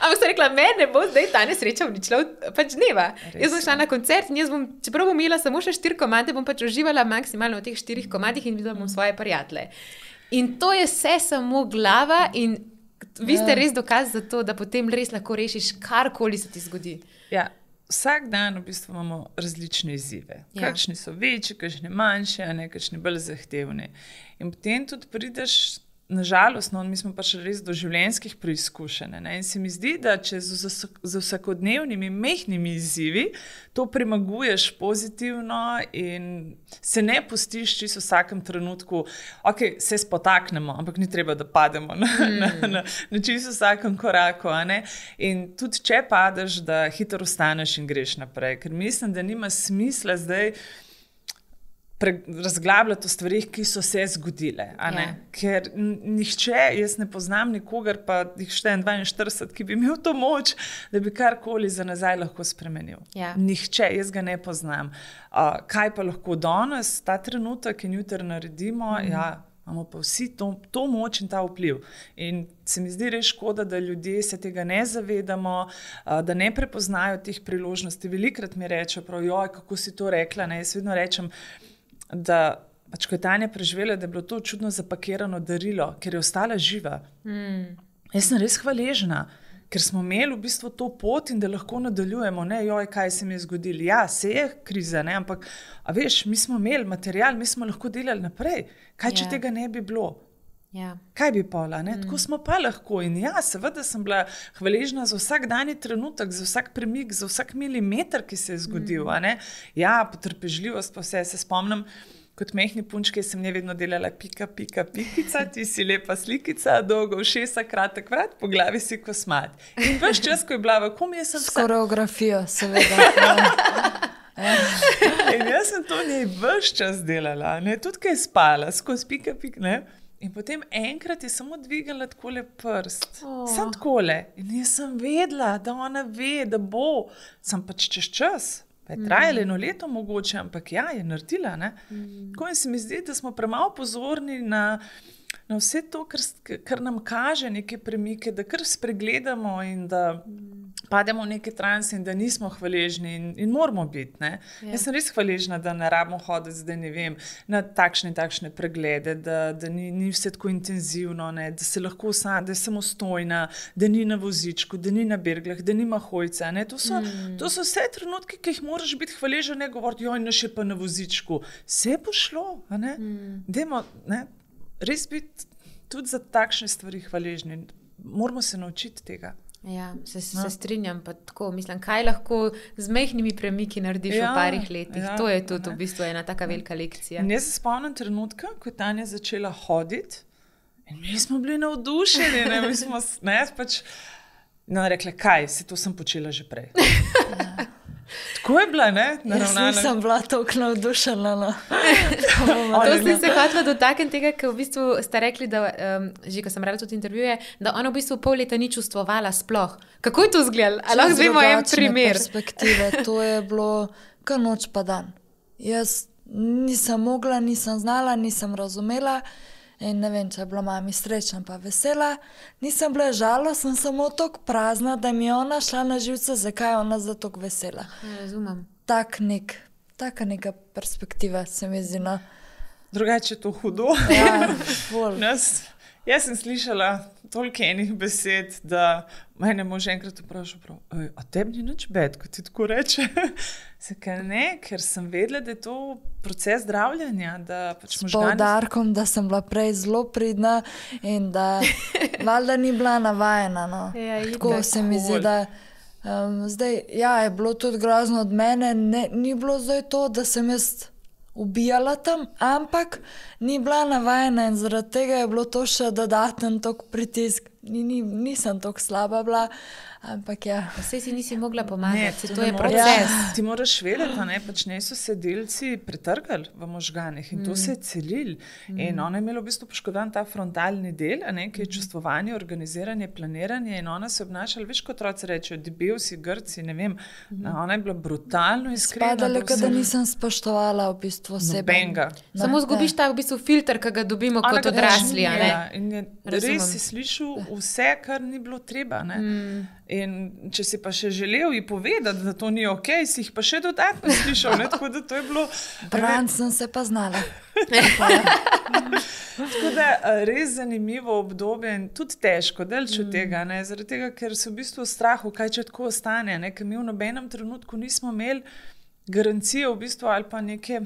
[SPEAKER 1] ampak sem rekla, meni ne bo zdaj ta nesreča uničila pač dneva. Res, jaz sem šla na koncert in jaz bom, čeprav bom imela samo še štiri komade, bom pač uživala maksimalno v teh štirih komadih in videla bom svoje prijatelje. In to je vse samo glava in vi ste res dokaz za to, da potem res lahko rešiš karkoli se ti zgodi.
[SPEAKER 2] Ja. Vsak dan v bistvu imamo različne izzive. Ja. Kakšni so večji, kakšni manjši, a ne kakšni bolj zahtevni. In potem tudi prideš, nažalost, no, mi smo pa še res do življenjskih preizkušenj. Ne? In se mi zdi, da če z, z vsakodnevnimi mehnimi izzivi to premaguješ pozitivno in se ne pustiš čisto v vsakem trenutku, ok, se spotaknemo, ampak ni treba, da pademo na, mm. na, na, na čisto vsakem koraku. A ne? In tudi če padeš, da hitro ostaneš in greš naprej. Ker mislim, da nima smisla zdaj razglabljati o stvarih, ki so se zgodile. Ja. Ker nihče, jaz ne poznam nikogar, pa jih štejem dvainštirideset, ki bi imel to moč, da bi karkoli za nazaj lahko spremenil. Ja. Nihče, jaz ga ne poznam. Uh, kaj pa lahko danes, ta trenutek in jutri naredimo, mm. ja, imamo pa vsi to, to moč in ta vpliv. In se mi zdi res škoda, da ljudje se tega ne zavedamo, uh, da ne prepoznajo teh priložnosti. Velikrat mi rečejo, prav, joj, kako si to rekla, ne? Jaz vedno rečem, da pač, ko je Tanja preživela, da je bilo to čudno zapakirano darilo, ker je ostala živa. Mm. Jaz sem res hvaležna, ker smo imeli v bistvu to pot in da lahko nadaljujemo, ne, joj, kaj se mi je zgodilo. Ja, se je kriza, ne, ampak, a veš, mi smo imeli material, mi smo lahko delali naprej. Kaj, če yeah. tega ne bi bilo? Yeah. Kaj bi pola, ne? Mm. Tako smo pa lahko. In ja, seveda sem bila hvaležna za vsak dani trenutek, za vsak premik, za vsak milimeter, ki se je zgodil, mm. a ne? Ja, potrpežljivost pa vse, se spomnim, kot mehni punčke sem ne vedno delala pika, pika, pikica, ti si lepa slikica, dolgo ušesa, kratek vrat, po glavi si kosmat. In veš čas, ko je bila v kom, jaz sem...
[SPEAKER 3] S koreografijo, seveda.
[SPEAKER 2] In jaz sem to njej veš čas delala, ne? Tudi kaj je spala, skozi pika, pika, ne? In potem enkrat je samo dvignila takole prst. Oh. Sam takole. In jaz sem vedela, da ona ve, da bo. Sem pač čez čas. Pa je trajalo mm. eno leto mogoče, ampak ja, je naredila. Ne? Mm. Tako in se mi zdi, da smo premalo pozorni na, na vse to, kar, kar nam kaže neke premike, da kar spregledamo in da mm. pademo v neke transe in da nismo hvaležni in, in moramo biti. Ne? Yeah. Jaz sem res hvaležna, da ne rabimo hoditi zdaj, ne vem, na takšne in takšne preglede, da, da ni, ni vse tako intenzivno, ne? Da se lahko sam, da je samostojna, da ni na vozičku, da ni na berglah, da nima hojca. Ne? To, so, mm. to so vse trenutki, ki jih moraš biti hvaležen, ne govoriti, joj, ne še pa na vozičku. Vse bo šlo. A ne? Mm. Dajmo, ne? Res biti tudi za takšne stvari hvaležni. Moramo se naučiti tega.
[SPEAKER 1] Ja, se, se strinjam, pa tako, mislim, kaj lahko z mehkimi premiki narediš ja, v parih letih. Ja, to je tudi ne. V bistvu ena taka velika lekcija.
[SPEAKER 2] In jaz se spomnim trenutka, ko je Tanja začela hoditi in mi smo bili navdušeni, ne, mi smo, ne, pač, no, rekla, kaj, se to sem počela že prej. Ja. Tako je bila, ne?
[SPEAKER 3] Jaz nisem bila toliko navdušena. No.
[SPEAKER 1] To sem se hotela dotakniti tega, ker v bistvu ste rekli, da, um, že ko sem rekla tudi intervjuje, da ona v bistvu pol leta ni čustvovala sploh. Kako je to izgledalo? Ali lahko zvemo en primer?
[SPEAKER 3] Perspektive, to je bilo kar noč pa dan. Jaz nisem mogla, nisem znala, nisem razumela in ne vem, če je bila mami srečna pa vesela. Nisem bila žalostna, sem samo toliko prazna, da mi je ona šla na živce, zakaj je ona za toliko vesela.
[SPEAKER 1] Ja, razumem.
[SPEAKER 3] Tak nek, taka neka perspektiva se mi zdi, no.
[SPEAKER 2] drugače je to hudo.
[SPEAKER 3] Ja, ful.
[SPEAKER 2] Nas, jaz sem slišala toliko enih besed, da mene mož enkrat vprašal, a tebi ni nič bed, ko ti tako reče. Zakaj ne? Ker sem vedela, da je to proces zdravljenja. Da pač
[SPEAKER 3] S
[SPEAKER 2] možgani...
[SPEAKER 3] poudarkom, da sem bila prej zelo pridna in da valjda ni bila navajena. No.
[SPEAKER 1] Ja,
[SPEAKER 3] tako se mi zdi, da um, zdaj, ja, je bilo tudi grozno od mene, ne, ni bilo zdaj to, da sem jaz ubijala tam, ampak ni bila navajena in zaradi tega je bilo to še dodaten tok pritisk. Ni, ni, nisem tako slaba bila, ampak ja.
[SPEAKER 1] Vse si nisi mogla pomagati,
[SPEAKER 2] Ne,
[SPEAKER 1] to je
[SPEAKER 2] ne
[SPEAKER 1] proces.
[SPEAKER 2] moreš. Ti moraš vedeti, a ne, pač ne so se delci pretrgali v možganih in to se je celil. In ona je imela v bistvu poškodovan ta frontalni del, a ne, ki je čustvovanje, organiziranje, planiranje in ona se je obnašala, veš, kot otroci rečejo, debel si, grci, ne vem. Ona je bila brutalno iskrena.
[SPEAKER 3] Spadalo,
[SPEAKER 2] do
[SPEAKER 3] da
[SPEAKER 2] vseh.
[SPEAKER 3] nisem spoštovala v bistvu sebe.
[SPEAKER 2] Nobenega.
[SPEAKER 1] Samo zgubiš ta v bistvu filter, ki ga dobimo
[SPEAKER 2] Ona
[SPEAKER 1] kot
[SPEAKER 2] ga
[SPEAKER 1] odrasli. a ne?
[SPEAKER 2] Ja, in je
[SPEAKER 1] Razumem.
[SPEAKER 2] res si slišal vse, kar ni bilo treba. Ne? Mm. In če si pa še želel ji povedati, da to ni ok, si jih pa še dodatno slišal. Ne? Tako da to je bilo.
[SPEAKER 3] Bran sem se pa znala.
[SPEAKER 2] Tako da a, res zanimivo obdobje in tudi težko, delč od tega, ne? Zaradi tega, ker so v bistvu v strahu, kaj če tako ostane, ne? Ker mi v nobenem trenutku nismo imeli garancije v bistvu ali pa neke,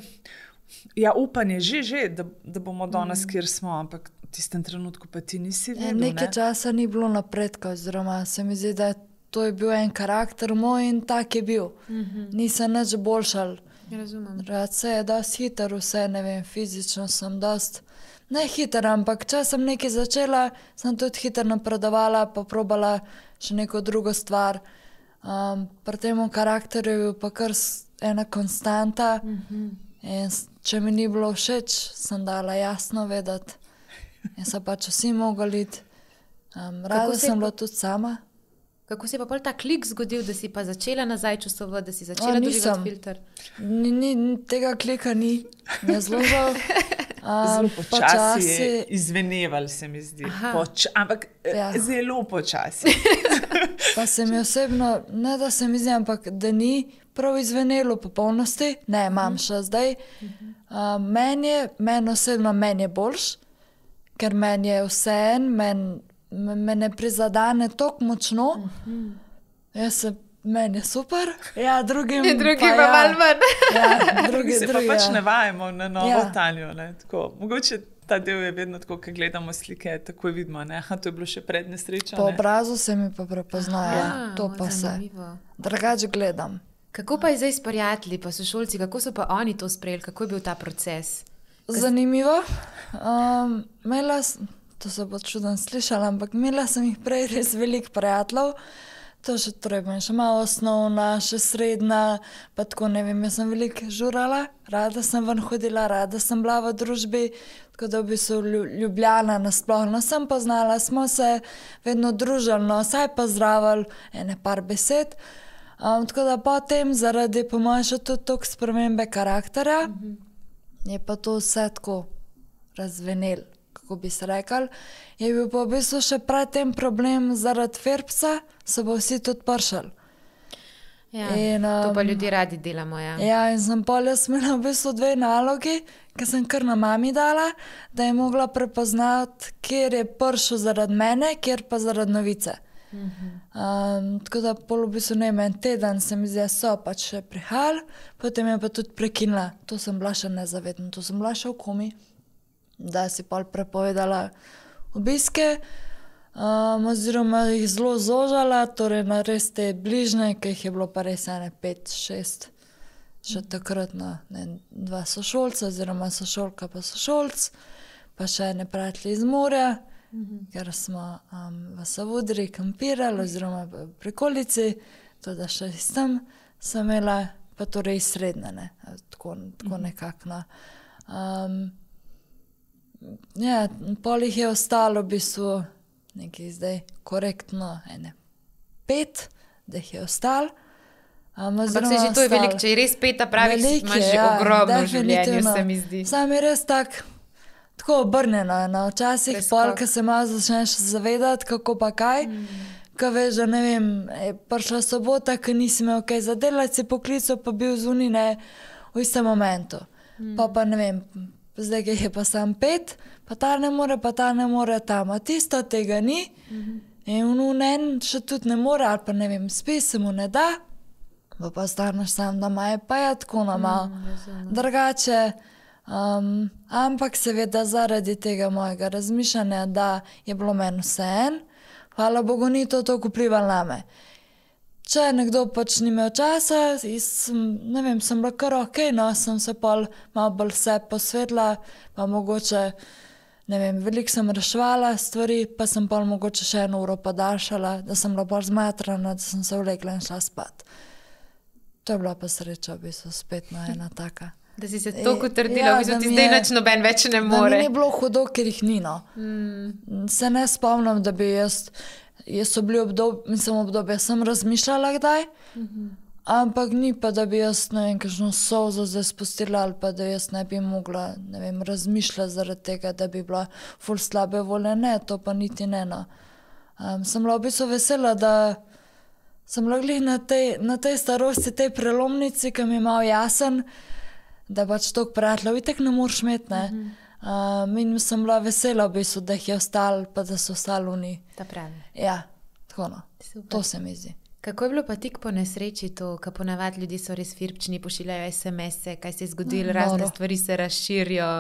[SPEAKER 2] ja, upanje, že, že, da, da bomo danes, kjer smo, ampak v tistem trenutku pa ti nisi
[SPEAKER 3] Ja,
[SPEAKER 2] vedel.
[SPEAKER 3] nekaj
[SPEAKER 2] ne?
[SPEAKER 3] časa ni bilo napredka, oziroma se mi zdi, da to je bil en karakter moj in tak je bil. Mm -hmm. Nisem nič boljšal.
[SPEAKER 1] Razumem.
[SPEAKER 3] Rad se je dosti hiter, vse, ne vem, fizično sem dosti, ne hiter, ampak če sem nekaj začela, sem tudi hiter napredovala, pa probala še neko drugo stvar. Um, pri tem karakterju je bil pa kar s- ena konstanta mm -hmm. in s- če mi ni bilo všeč, sem dala jasno vedeti. In so pač vsi mogli iti. Um, rada
[SPEAKER 1] se je
[SPEAKER 3] sem
[SPEAKER 1] pa-
[SPEAKER 3] bila tudi sama.
[SPEAKER 1] Kako se je pa pol ta klik zgodil, da si pa začela nazaj čustvovati, da si začela
[SPEAKER 3] O,
[SPEAKER 1] dobivati
[SPEAKER 3] nisem.
[SPEAKER 1] filter?
[SPEAKER 3] Ni, ni, tega klika ni, ne zelo žal.
[SPEAKER 2] Zelo
[SPEAKER 3] Um,
[SPEAKER 2] počasi je izveneval, se mi zdi.
[SPEAKER 1] Aha.
[SPEAKER 2] Poč ampak ja.
[SPEAKER 3] Ja.
[SPEAKER 2] zelo počasi.
[SPEAKER 3] Pa se mi osebno, ne da se mi zdi, ampak da ni prav izvenelo v popolnosti, ne, imam še zdaj. Uh, meni je, meni osebno, meni je boljš, ker meni je vseeno, meni me ne prizadene tako močno. Jaz se, meni je super, ja, drugim
[SPEAKER 1] Drugi pa
[SPEAKER 3] ja,
[SPEAKER 1] malo manj.
[SPEAKER 3] Ja,
[SPEAKER 2] Mi
[SPEAKER 3] drugi,
[SPEAKER 2] se
[SPEAKER 3] drugi,
[SPEAKER 2] pa pač
[SPEAKER 3] ja.
[SPEAKER 2] navajamo na novo ja.
[SPEAKER 3] Ja.
[SPEAKER 2] Tanjo. Ne? Tako, mogoče ta del je vedno tako, ko gledamo slike, tako vidimo. Ne? Aha, to je bilo še pred nesrečo.
[SPEAKER 3] Po
[SPEAKER 2] Ne?
[SPEAKER 3] obrazu se mi pa prepoznajo, ja, to pa se.
[SPEAKER 1] Zanimivo.
[SPEAKER 3] Drugače gledam.
[SPEAKER 1] Kako pa je zdaj s prijatelji, pa sošolci, kako so pa oni to sprejeli, kako je bil ta proces?
[SPEAKER 3] Zanimivo. Um, imela, s- to se bo čudno slišala, ampak imela sem jih prej res veliko prijateljev. To še treba, še malo osnovna, še srednja, pa tako ne vem, jaz sem veliko žurala, rada sem ven hodila, rada sem bila v družbi, tako da v bistvu Lju- Ljubljana nasplošno sem poznala, smo se vedno družili, no, saj pa zdravili, ene par besed. Um, tako da potem zaradi po mojem še tudi toliko spremembe karakterja, je pa to vse tako razvenel, kako bi se rekel. Je bil pa v bistvu še predtem problem zaradi Ferbsa, so pa vsi tudi pršali.
[SPEAKER 1] Ja,
[SPEAKER 3] In,
[SPEAKER 1] to pa
[SPEAKER 3] um,
[SPEAKER 1] ljudje radi delamo. Ja.
[SPEAKER 3] Ja, in sem pol jaz imela v bistvu dve nalogi, ki sem kar na mami dala, da je mogla prepoznati, kjer je pršel zaradi mene, kjer pa zaradi novice. Um, tako da pol v bistvu ne vem, en teden se mi zdi, da so pač še prihajali, potem je pa tudi prekinila. To sem bila še nezavedna, to sem bila še v komi, da si pol prepovedala obiske, um, oziroma jih zelo zožala, torej na res te bližnje, ki jih je bilo pa res ene pet, šest, še takrat na ne, dva sošolca, oziroma sošolka pa sošolc, pa še ene prijatelji iz morja, ker smo um, v Savudri kampirali, oziroma v prikolici, tudi še s tem sem imela, pa torej srednje, ne, tako, tako nekako. No. Um, ja, pol jih je ostalo v bistvu nekaj zdaj korektno, ene pet, da jih je ostalo. Um,
[SPEAKER 1] Ampak se že to je veliko, če je res peta pravi, imaš že ogromno v življenju, se mi zdi.
[SPEAKER 3] Sam je res tak, tako obrnjeno, no. Včasih
[SPEAKER 1] Preskok.
[SPEAKER 3] pol, ko se malo začneš zavedati, kako pa kaj, mm. ko veš, da ne vem, je prišla sobota, ko nisi imel kaj za delati, si poklical, pa bil zunaj, ne, v istem momentu. Mm. Pa pa ne vem, zdaj je pa sam pet, pa ta ne more, pa ta ne more tam, a tisto tega ni. Mm-hmm. In v en še tudi ne more, ali pa ne vem, spi se mu ne da, pa pa staneš sam doma, je pa je tako na malo mm, drugače. Um, ampak seveda zaradi tega mojega razmišljanja, da je bilo meni vseeno, hvala Bogu, ni to toliko vplivalo name. Če nekdo pač ni imel časa, sem, ne vem, sem bila kar ok, no, sem se pol malo bolj vse posvetila, pa mogoče, ne vem, veliko sem reševala stvari, pa sem pol mogoče še eno uro podaljšala, da sem bila bolj zmatrana, da sem se vlekla in šla spat. To je bila pa sreča, v bistvu, spet na ena taka.
[SPEAKER 1] Da si se toliko trdila, ja, v bistvu ti zdaj nič noben več ne more.
[SPEAKER 3] Da mi ni bilo hudo, ker jih ni, no. Mm. Se ne spomnim, da bi jaz, jaz so bili obdobje, mislim obdobje, sem razmišljala kdaj, mm-hmm. ampak ni pa, da bi jaz, ne vem, kakšno solzo zdaj spustila, ali pa da jaz ne bi mogla, ne vem, razmišljati zaradi tega, da bi bila ful slabe volje, ne, to pa niti ne, no. Um, sem bila v bistvu vesela, da sem bila glih na tej, na tej starosti, tej prelomnici, ki mi je malo jasen, da pač toliko prijateljev itak ne moreš imeti, ne. Mm-hmm. Um, in sem bila vesela v bistvu, da jih je ostalo, pa da so ostali oni.
[SPEAKER 1] Ta pravi.
[SPEAKER 3] Ja, tako no. Super. To se mi zdi.
[SPEAKER 1] Kako je bilo pa tik po nesreči to, ko ponavadi ljudi so res firpčni, pošiljajo es em ese, kaj se je zgodilo, no, razne stvari se razširijo.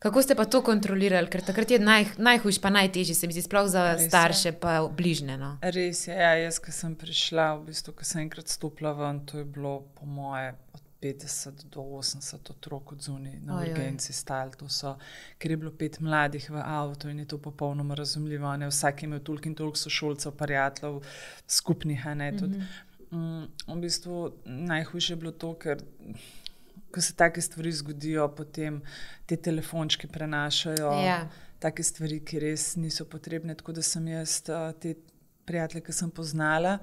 [SPEAKER 1] Kako ste pa to kontrolirali? Ker takrat je naj, najhujš pa najtežji, se mi zdi, sploh za res starše je. Pa bližne. No?
[SPEAKER 2] Res je, ja, jaz, ko sem prišla, v bistvu, ko sem enkrat stopila ven, to je bilo po moje od petdeset do osemdeset otrok od zunaj na urgenci stali. To so, ker je bilo pet mladih v avtu in je to popolnoma razumljivo. Ne? Vsak je imel toliko in toliko sošolcev, prijateljev, skupnih. Ne? Tudi, mm-hmm. V bistvu najhujše je bilo to, ker ko se take stvari zgodijo, potem te telefončki prenašajo, ja. Take stvari, ki res niso potrebne. Tako da sem jaz te prijatelje, ki sem poznala,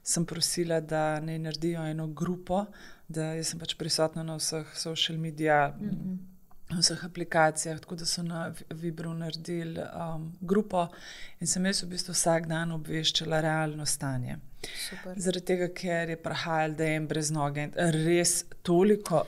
[SPEAKER 2] sem prosila, da ne naredijo eno grupo, da jaz sem pač prisotna na vseh social media, mm-hmm. vseh aplikacijah, tako da so na Vibru naredili um, grupo in sem jaz v bistvu vsak dan obveščala realno stanje. Super. Zaradi tega, ker je prihajalo, da je en brez noge, res toliko,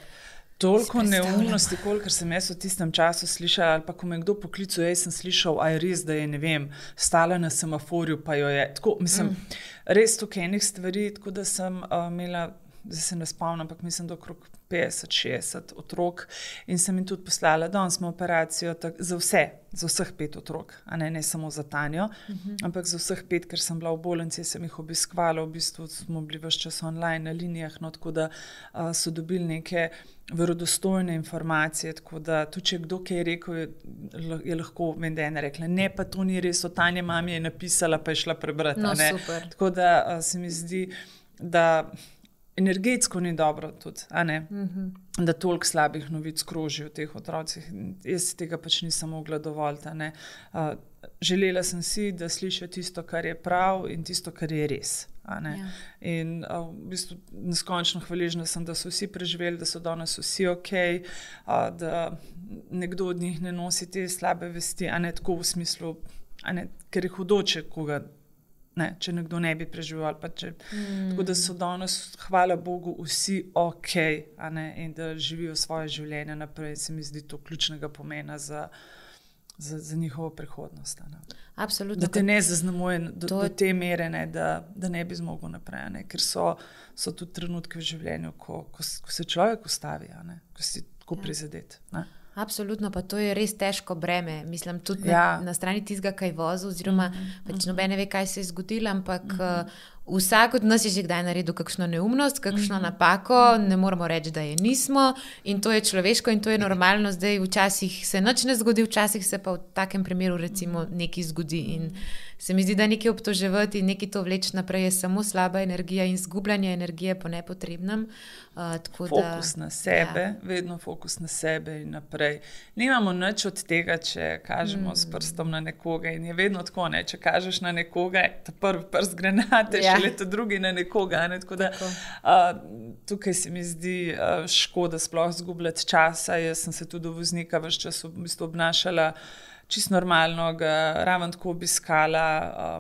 [SPEAKER 2] toliko neumnosti, kolikor sem jaz v tistem času slišala, ali pa ko me kdo poklical, jaz sem slišal, a je res, da je, ne vem, stala na semaforju, pa jo je, tako, mislim, mm. res toliko enih stvari, tako da sem uh, imela, zdaj se ne spomnim, ampak mislim, da okrog petdeset šestdeset otrok in sem jim tudi poslala, danes smo operacijo tak, za vse, za vseh pet otrok, a ne, ne samo za Tanjo, uh-huh. ampak za vseh pet, ker sem bila v bolnici, sem jih obiskvala, v bistvu smo bili ves čas online na linijah, no, tako da uh, so dobili neke verodostojne informacije, tako da tudi, če kdo kaj je rekel, je, je lahko, vem, da je ena rekla, ne, pa to ni res, o Tanja mami je napisala, pa je šla prebrati,
[SPEAKER 1] no,
[SPEAKER 2] ne.
[SPEAKER 1] Super.
[SPEAKER 2] Tako da uh, se mi zdi, da energetsko ni dobro tudi, a ne, mm-hmm. da toliko slabih novic kroži v teh otrocih. Jaz si tega pač nisem mogla dovoliti, a ne. Uh, želela sem si, da slišijo tisto, kar je prav in tisto, kar je res, a ne. Ja. In uh, v bistvu neskončno hvaležna sem, da so vsi preživeli, da so danes vsi ok, uh, da nekdo od njih ne nosi te slabe vesti, a ne tako v smislu, a ne, ker je hudoče koga. Ne, če nekdo ne bi preživel. Pa če, mm. Tako da so danes, hvala Bogu, vsi ok, a ne, in da živijo svoje življenje naprej. Se mi zdi to ključnega pomena za, za, za njihovo prihodnost. Ne.
[SPEAKER 1] Absolutno.
[SPEAKER 2] Da te ne zaznamuje do, to... do te mere, ne, da, da ne bi zmogel naprej. Ne, ker so, so tudi trenutke v življenju, ko, ko, ko se človek ustavi, a ne, ko si tako ja. prizadet. Ne.
[SPEAKER 1] Absolutno, pa to je res težko breme. Mislim, tudi
[SPEAKER 2] ja.
[SPEAKER 1] na, na strani tistega, kaj vozi, oziroma mm-hmm. pač nobene ve, kaj se je zgodilo, ampak mm-hmm. uh, vsak od nas je že kdaj naredil kakšno neumnost, kakšno mm-hmm. napako, ne moramo reči, da je nismo in to je človeško in to je normalno. Zdaj včasih se nič ne zgodi, včasih se pa v takem primeru recimo nekaj zgodi in se mi zdi, da nekaj obtoževati in nekaj to vleči naprej je samo slaba energija in zgubljanje energije po nepotrebnem. Uh, tako
[SPEAKER 2] fokus
[SPEAKER 1] da,
[SPEAKER 2] na sebe,
[SPEAKER 1] ja.
[SPEAKER 2] vedno fokus na sebe in naprej. Nimamo nič od tega, če kažemo mm. s prstom na nekoga in je vedno tako, ne? Če kažeš na nekoga, ta prvi prst granate, ja. Šele ta drugi na nekoga. Ne? Tako da, tako. Uh, tukaj se mi zdi uh, škoda sploh zgubljati časa. Jaz sem se tudi do voznika ves čas v bistvu obnašala čisto normalno, ga raven tako obiskala.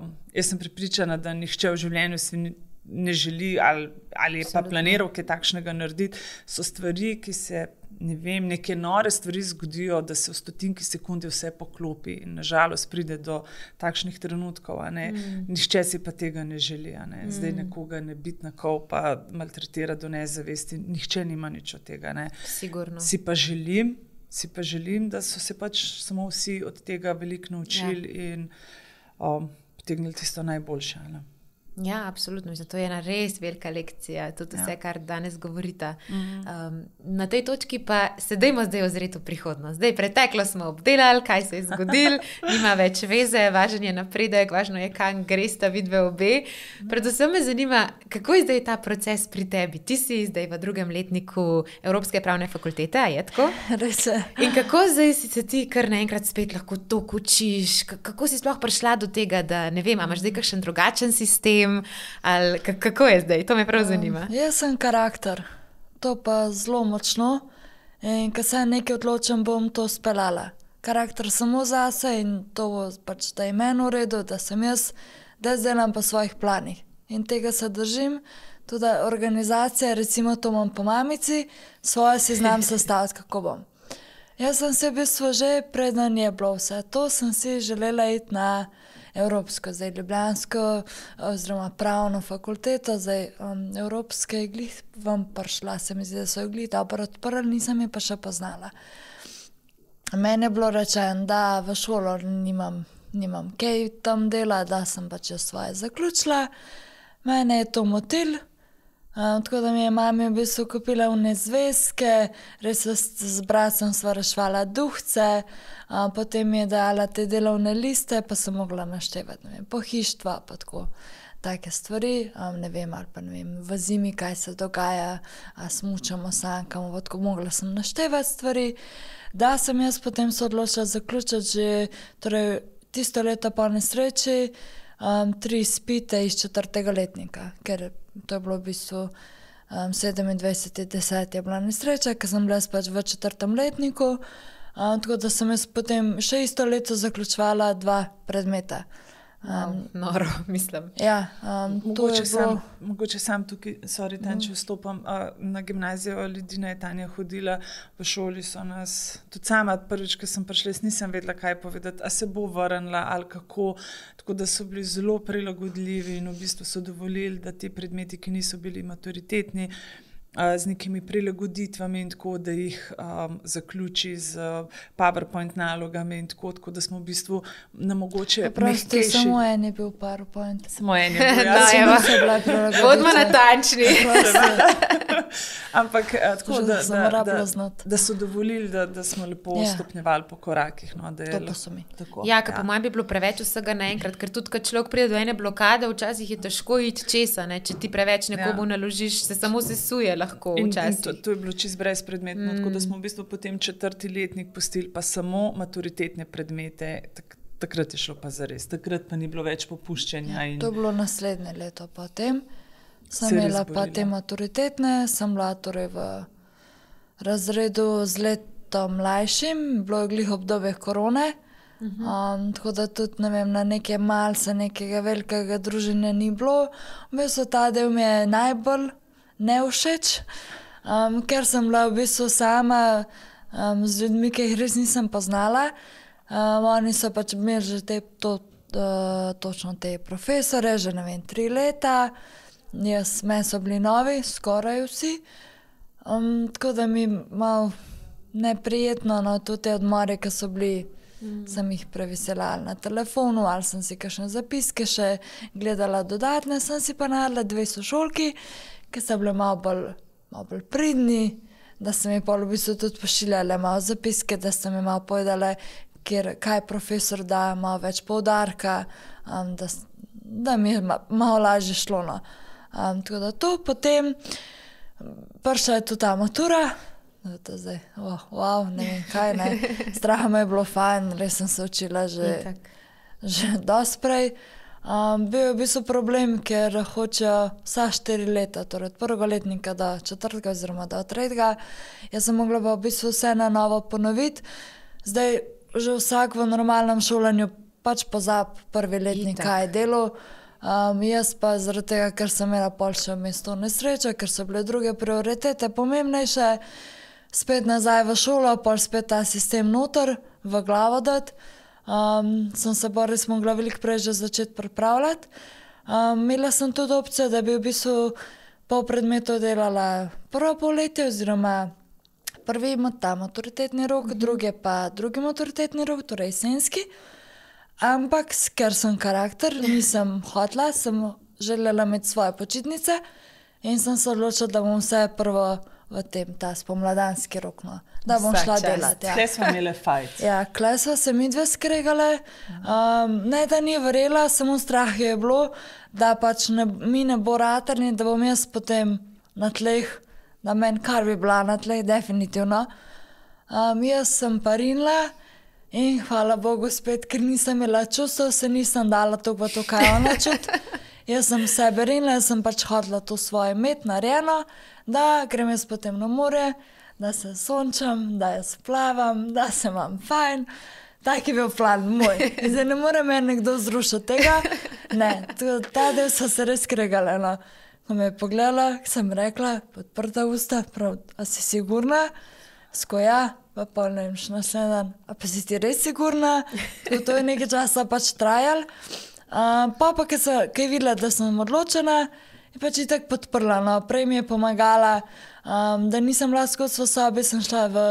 [SPEAKER 2] Um, jaz sem prepričana, da nihče v življenju si ni ne želi ali, ali je pa planiral kaj takšnega narediti, so stvari, ki se ne vem, neke nore stvari zgodijo, da se v stotinki sekunde vse poklopi in nažalost pride do takšnih trenutkov. Mm. Nihče si pa tega ne želi. Ne? Zdaj nekoga ne biti na kol pa maltretira do nezavesti. Nihče nima nič od tega. Ne?
[SPEAKER 1] Sigurno.
[SPEAKER 2] Si pa želim, si pa želim, da so se pač samo vsi od tega veliko naučili ja. in um, potegnili tisto najboljše. Ne?
[SPEAKER 1] Ja, absolutno. To je ena res velika lekcija, tudi vse, ja. kar danes govorite. Um, na tej točki pa se dajmo zdaj ozreti v prihodnost. Zdaj, preteklo smo obdelali, kaj se je zgodilo, nima več veze, važen je napredek, važno je, kam gresta vidve obe. Predvsem me zanima, kako je zdaj ta proces pri tebi? Ti si zdaj v drugem letniku Evropske pravne fakultete, a je tako?
[SPEAKER 3] Res je.
[SPEAKER 1] In kako zdaj si se ti kar naenkrat spet lahko toliko učiš? Kako si sploh prišla do tega, da ne vem, imaš zdaj kakšen drugačen sistem? Ali kako je zdaj? To me prav zanima.
[SPEAKER 3] Um, jaz sem karakter, to pa zelo močno in ko se nekaj odločim, bom to speljala. Karakter samo zase in to bo pač, da je meni v redu, da sem jaz, da delam po svojih planih. In tega se držim. Tudi organizacija, recimo to imam po mamici, svoje si znam sestaviti, kako bom. Jaz sem se v bistvu že preden je bilo vse to, sem si želela iti na Evropsko, zdaj Ljubljansko, oziroma pravno fakulteto, zdaj um, Evropske glih vam prišla, se mi zdi, da so glih dobro odprli, nisem je pa še poznala. Meni je bilo rečeno, da v šolo nimam, nimam kaj tam dela, da sem pač svoje zaključila. Mene je to motil, um, tako da mi je mami v bistvu kupila vne zvezke, res z bratom sva rešvala duhce, Uh, potem mi je dala te delovne liste, pa sem mogla naštevati, ne vem, pohištva, pa tako, take stvari, um, ne vem, ali pa ne vem, v zimi, kaj se dogaja, a smučamo, sankamo, tako mogla sem naštevati stvari, da sem jaz potem se odločila zaključiti že, torej, tisto leto po nesreči, um, tri izpite iz četrtega letnika, ker to je bilo v bistvu um, sedemindvajseti deseti je bila nesreča, ker sem bila pač v četrtem letniku. Um, tako da sem jaz potem še isto leto zaključovala dva predmeta. Um,
[SPEAKER 1] wow, noro, mislim.
[SPEAKER 3] Ja, um,
[SPEAKER 2] mogoče,
[SPEAKER 3] bilo...
[SPEAKER 2] sam, mogoče sam tukaj, sorry, Tanči, vstopam uh, na gimnazijo, Lidina je Tanja hodila, v šoli so nas, tudi sama prvič, ko sem prišla, nisem vedela, kaj povedati, a se bo vrnila ali kako, tako da so bili zelo prilagodljivi in v bistvu so dovolili, da ti predmeti, ki niso bili maturitetni, z nekimi prilagoditvami in tako, da jih um, zaključi z PowerPoint nalogami in tako, tako da smo v bistvu na mogoče
[SPEAKER 3] mehkejši. Samo en je bil PowerPoint.
[SPEAKER 2] Samo en je bil, ja.
[SPEAKER 1] Sem se bila prilagoditva. Bodimo natančni.
[SPEAKER 2] Ampak tako, da, da, da, da so dovolili, da, da smo lepo yeah. stopnjevali po korakih. No, da je
[SPEAKER 3] to pa so mi.
[SPEAKER 2] Tako,
[SPEAKER 1] ja, ker ja. po mojem bi bilo preveč vsega naenkrat, ker tudi, kad človek pride do ene blokade, včasih je težko iti česa, ne? Če ti preveč nekomu ja. naložiš, se samo sesuje lahko včasih.
[SPEAKER 2] In, in to, to je bilo čist brezpredmetno, mm. tako da smo v bistvu potem četrti letnik pustili pa samo maturitetne predmete, tak, takrat je šlo pa zares, takrat pa ni bilo več popuščenja. In...
[SPEAKER 3] To je bilo naslednje leto potem. Sem imela pa te maturitetne, sem bila torej v razredu z letom mlajšim, bilo je glih obdobje korone, uh-huh. um, tako da tudi, ne vem, na neke malce, nekega velikega druženja ni bilo. V bistvu ta del mi je najbolj nevšeč, um, ker sem bila v bistvu sama um, z ljudmi, ki jih res nisem poznala. Um, oni so pač imeli že te, to, uh, točno te profesore, že ne vem, tri leta. Jaz, meni so bili novi, skoraj vsi, um, tako da mi malo neprijetno, no, tudi te odmore, ki so bili, mm. sem jih preveselala na telefonu, ali sem si kakšne zapiske še gledala dodatne, sem si pa naredila dve sošolki, ki so bile malo bolj, malo bolj pridni, da sem mi pol v bistvu tudi pošiljala malo zapiske, da sem mi malo povedala, kjer, kaj profesor da, malo več poudarka, um, da, da mi je malo lažje šlo, no. Um, tako da to, potem prišla je tudi ta matura, to zdaj, oh, wow, ne vem kaj, ne, strah me je bilo fajn, res sem se učila že, že dosti prej. Um, bil je v bistvu problem, ker hočejo vsa štiri leta, torej od prvega letnika do četrtega oziroma do tretjega, jaz sem mogla pa v bistvu vse na novo ponoviti, zdaj že vsak v normalnem šolanju pač pozab prvi letnik, kaj je delo. Um, jaz pa zaradi tega, ker sem imela pol še mesto nesreča, ker so bile druge prioritete pomembnejše, spet nazaj v šolo, pol spet ta sistem noter v glavo dati. Um, sem se pa res mogla veliko prej že začeti pripravljati. Um, imela sem tudi opcijo, da bi v bistvu pol predmetov delala prvo polletje oziroma prvi ta maturitetni rok, mm-hmm. drugi pa drugi maturitetni rok, torej jesenski. Ampak, ker sem karakter, nisem hotla, sem želela imeti svoje počitnice in sem se odločila, da bom vse prvo v tem, ta spomladanski rok, no. Da bom
[SPEAKER 2] Vsak
[SPEAKER 3] šla
[SPEAKER 2] čas.
[SPEAKER 3] delati. Ja.
[SPEAKER 2] Kle smo imeli fajt.
[SPEAKER 3] Ja, kle smo se mi dve skregale. Um, ne, da ni verjela, samo strah je bilo, da pač ne, mi ne bo ratarni, da bom jaz potem na tleh, da meni kar bi bila na tleh, definitivno. Um, jaz sem pa rinila in hvala Bogu spet, ker nisem imela čustev, se nisem dala toliko v to, kaj ona čuti. Jaz sem sebe rinila, jaz sem pač hodila to svoje imeti narejeno, da grem jaz potem na more, da se sončam, da jaz plavam, da se imam fajn. Tak je bil plan moj. Zdaj ne more me nekdo zrušiti tega. Ne, ta del so se res skregale. No. Ko me je pogledala, sem rekla, podprta usta, prav, a si sigurna? Skoja, pa pol ne vem, še naslednji dan. A pa si ti res sigurna? To, to je nekaj časa pač trajal. Uh, pa pa, ko je videla, da sem odločena, je pač itak podprla. No. Prej mi je pomagala, um, da nisem bila skozi v sobi, sem šla v,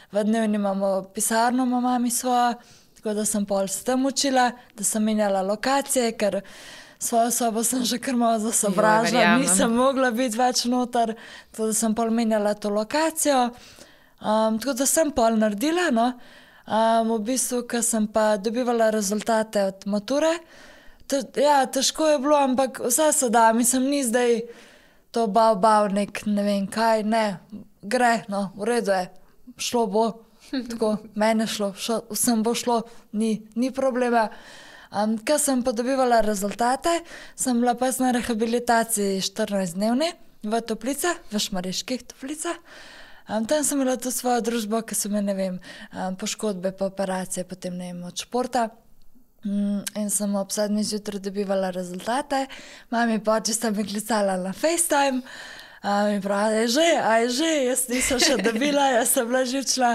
[SPEAKER 3] v dnevni, imamo pisarno, imam mami svojo, tako da sem pol s tem učila, da sem menjala lokacije, ker svojo sobo sem že kar malo zasobražila, nisem mogla biti več noter, tako da sem pol menjala to lokacijo. Um, tako da sem pol naredila, no. Um, v bistvu, ko sem pa dobivala rezultate od mature, Te, ja, težko je bilo, ampak vse se da, mislim, ni zdaj to bav, bav, nek ne vem kaj, ne, gre, no, v redu je, šlo bo, tako, mene šlo, šo, vsem bo šlo, ni, ni problema. Um, ko sem pa dobivala rezultate, sem bila pa na rehabilitaciji štirinajstdnevni v Toplicah, v Šmarjeških Toplicah. Um, tam sem imela to svojo družbo, ki so me, ne vem, um, poškodbe, pa operacije, potem ne vem, od športa. In sem ob sedmih zjutraj dobivala rezultate. Mami pa oči sta mi klicala na FaceTime. A mi pravi, je že, a je že, jaz nisem še dobila, jaz sem bila živčna.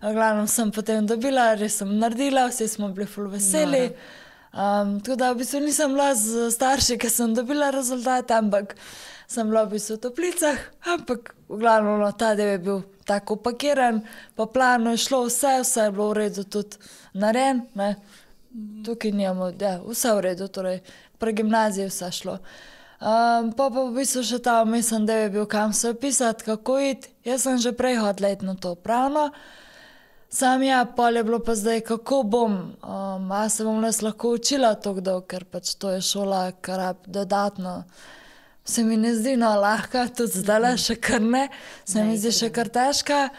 [SPEAKER 3] V glavnem sem potem dobila, res sem naredila, vsi smo bili ful veseli. Um, tako da v bistvu nisem bila z starši, ker sem dobila rezultate, ampak sem bila v bistvu v Toplicah. Ampak v glavnem no, ta del je bil tako upakiran, po planu je šlo vse, vse je bilo v redu tudi narejen, ne. Tukaj nijamo, ja, vse v redu, torej pre gimnaziji vse šlo. Um, pa pa v bistvu še ta mislim, da je bil kam se opisati, kako iti. Jaz sem že prej hodila iti na to pravno. Sam ja, pol je bilo pa zdaj, kako bom, um, a se bom les lahko učila tako dolgo, ker pač to je šola, kar dodatno se mi ne zdi no lahka, tudi zdaj še kar ne, se mi zdi še kar težka.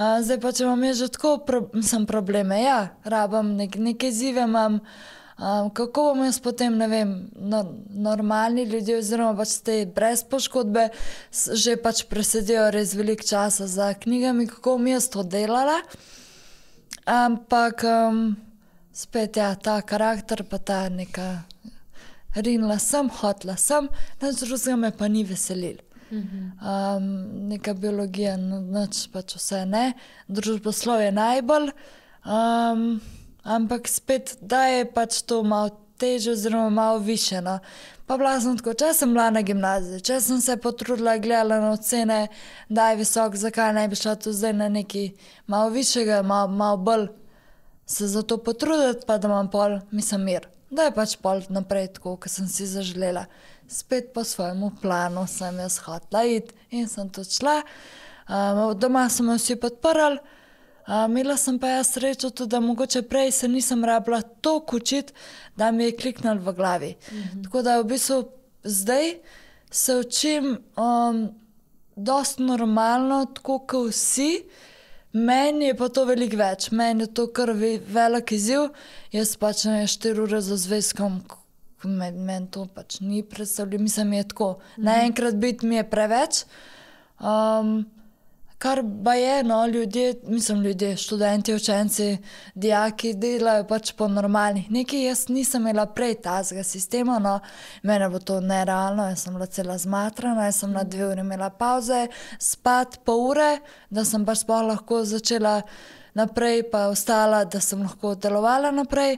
[SPEAKER 3] Uh, zdaj pa, če imam že tako pro, sem probleme, ja, rabam nek, neke izzive imam, um, kako bom jaz potem, ne vem, no, normalni ljudje oziroma pač te brez poškodbe že pač presedijo res veliko časa za knjigami, kako bom jaz to delala. Ampak um, spet ja, ta karakter pa ta neka rinila sem, hotla sem, nič drugega me pa ni veselil. Um, neka biologija, nič pač vse ne, družboslovje najbolj, um, ampak spet da je pač to malo težje oziroma malo više. No. Pa bila sem tako, če sem bila na gimnaziji, če sem se potrudila, gledala na ocene, da je visok, zakaj ne bi šla tu zdaj na neki malo višjega, malo, malo bolj se za to potruditi, pa da imam pol, mislim, mir. Da je pač pol naprej tako, ko sem si zaželela. Spet po svojemu planu sem jaz hotela iti in sem tudi šla. Um, doma so me vsi podprli. Um, imela sem pa jaz srečo tudi, da mogoče prej se nisem rabila toliko učiti, da mi je kliknilo v glavi. Mm-hmm. Tako da v bistvu zdaj se učim um, dosti normalno, tako kot vsi. Meni je pa to veliko več, meni je to kar velik izziv, jaz pač ne štiri ure za zvezkom, meni to pač ni predstavljeno, mislim, je tako, naenkrat biti mi je preveč, um, kar ba je, no, ljudje, mislim ljudje, študenti, učenci, dijaki delajo pač po normalnih. Nekaj jaz nisem imela prej tazga sistema, no, mene bo to nerealno, jaz sem bila cela zmatrana, jaz sem na dve uri imela pauze, spat pol ure, da sem pač sploh lahko začela naprej, pa ostala, da sem lahko delovala naprej.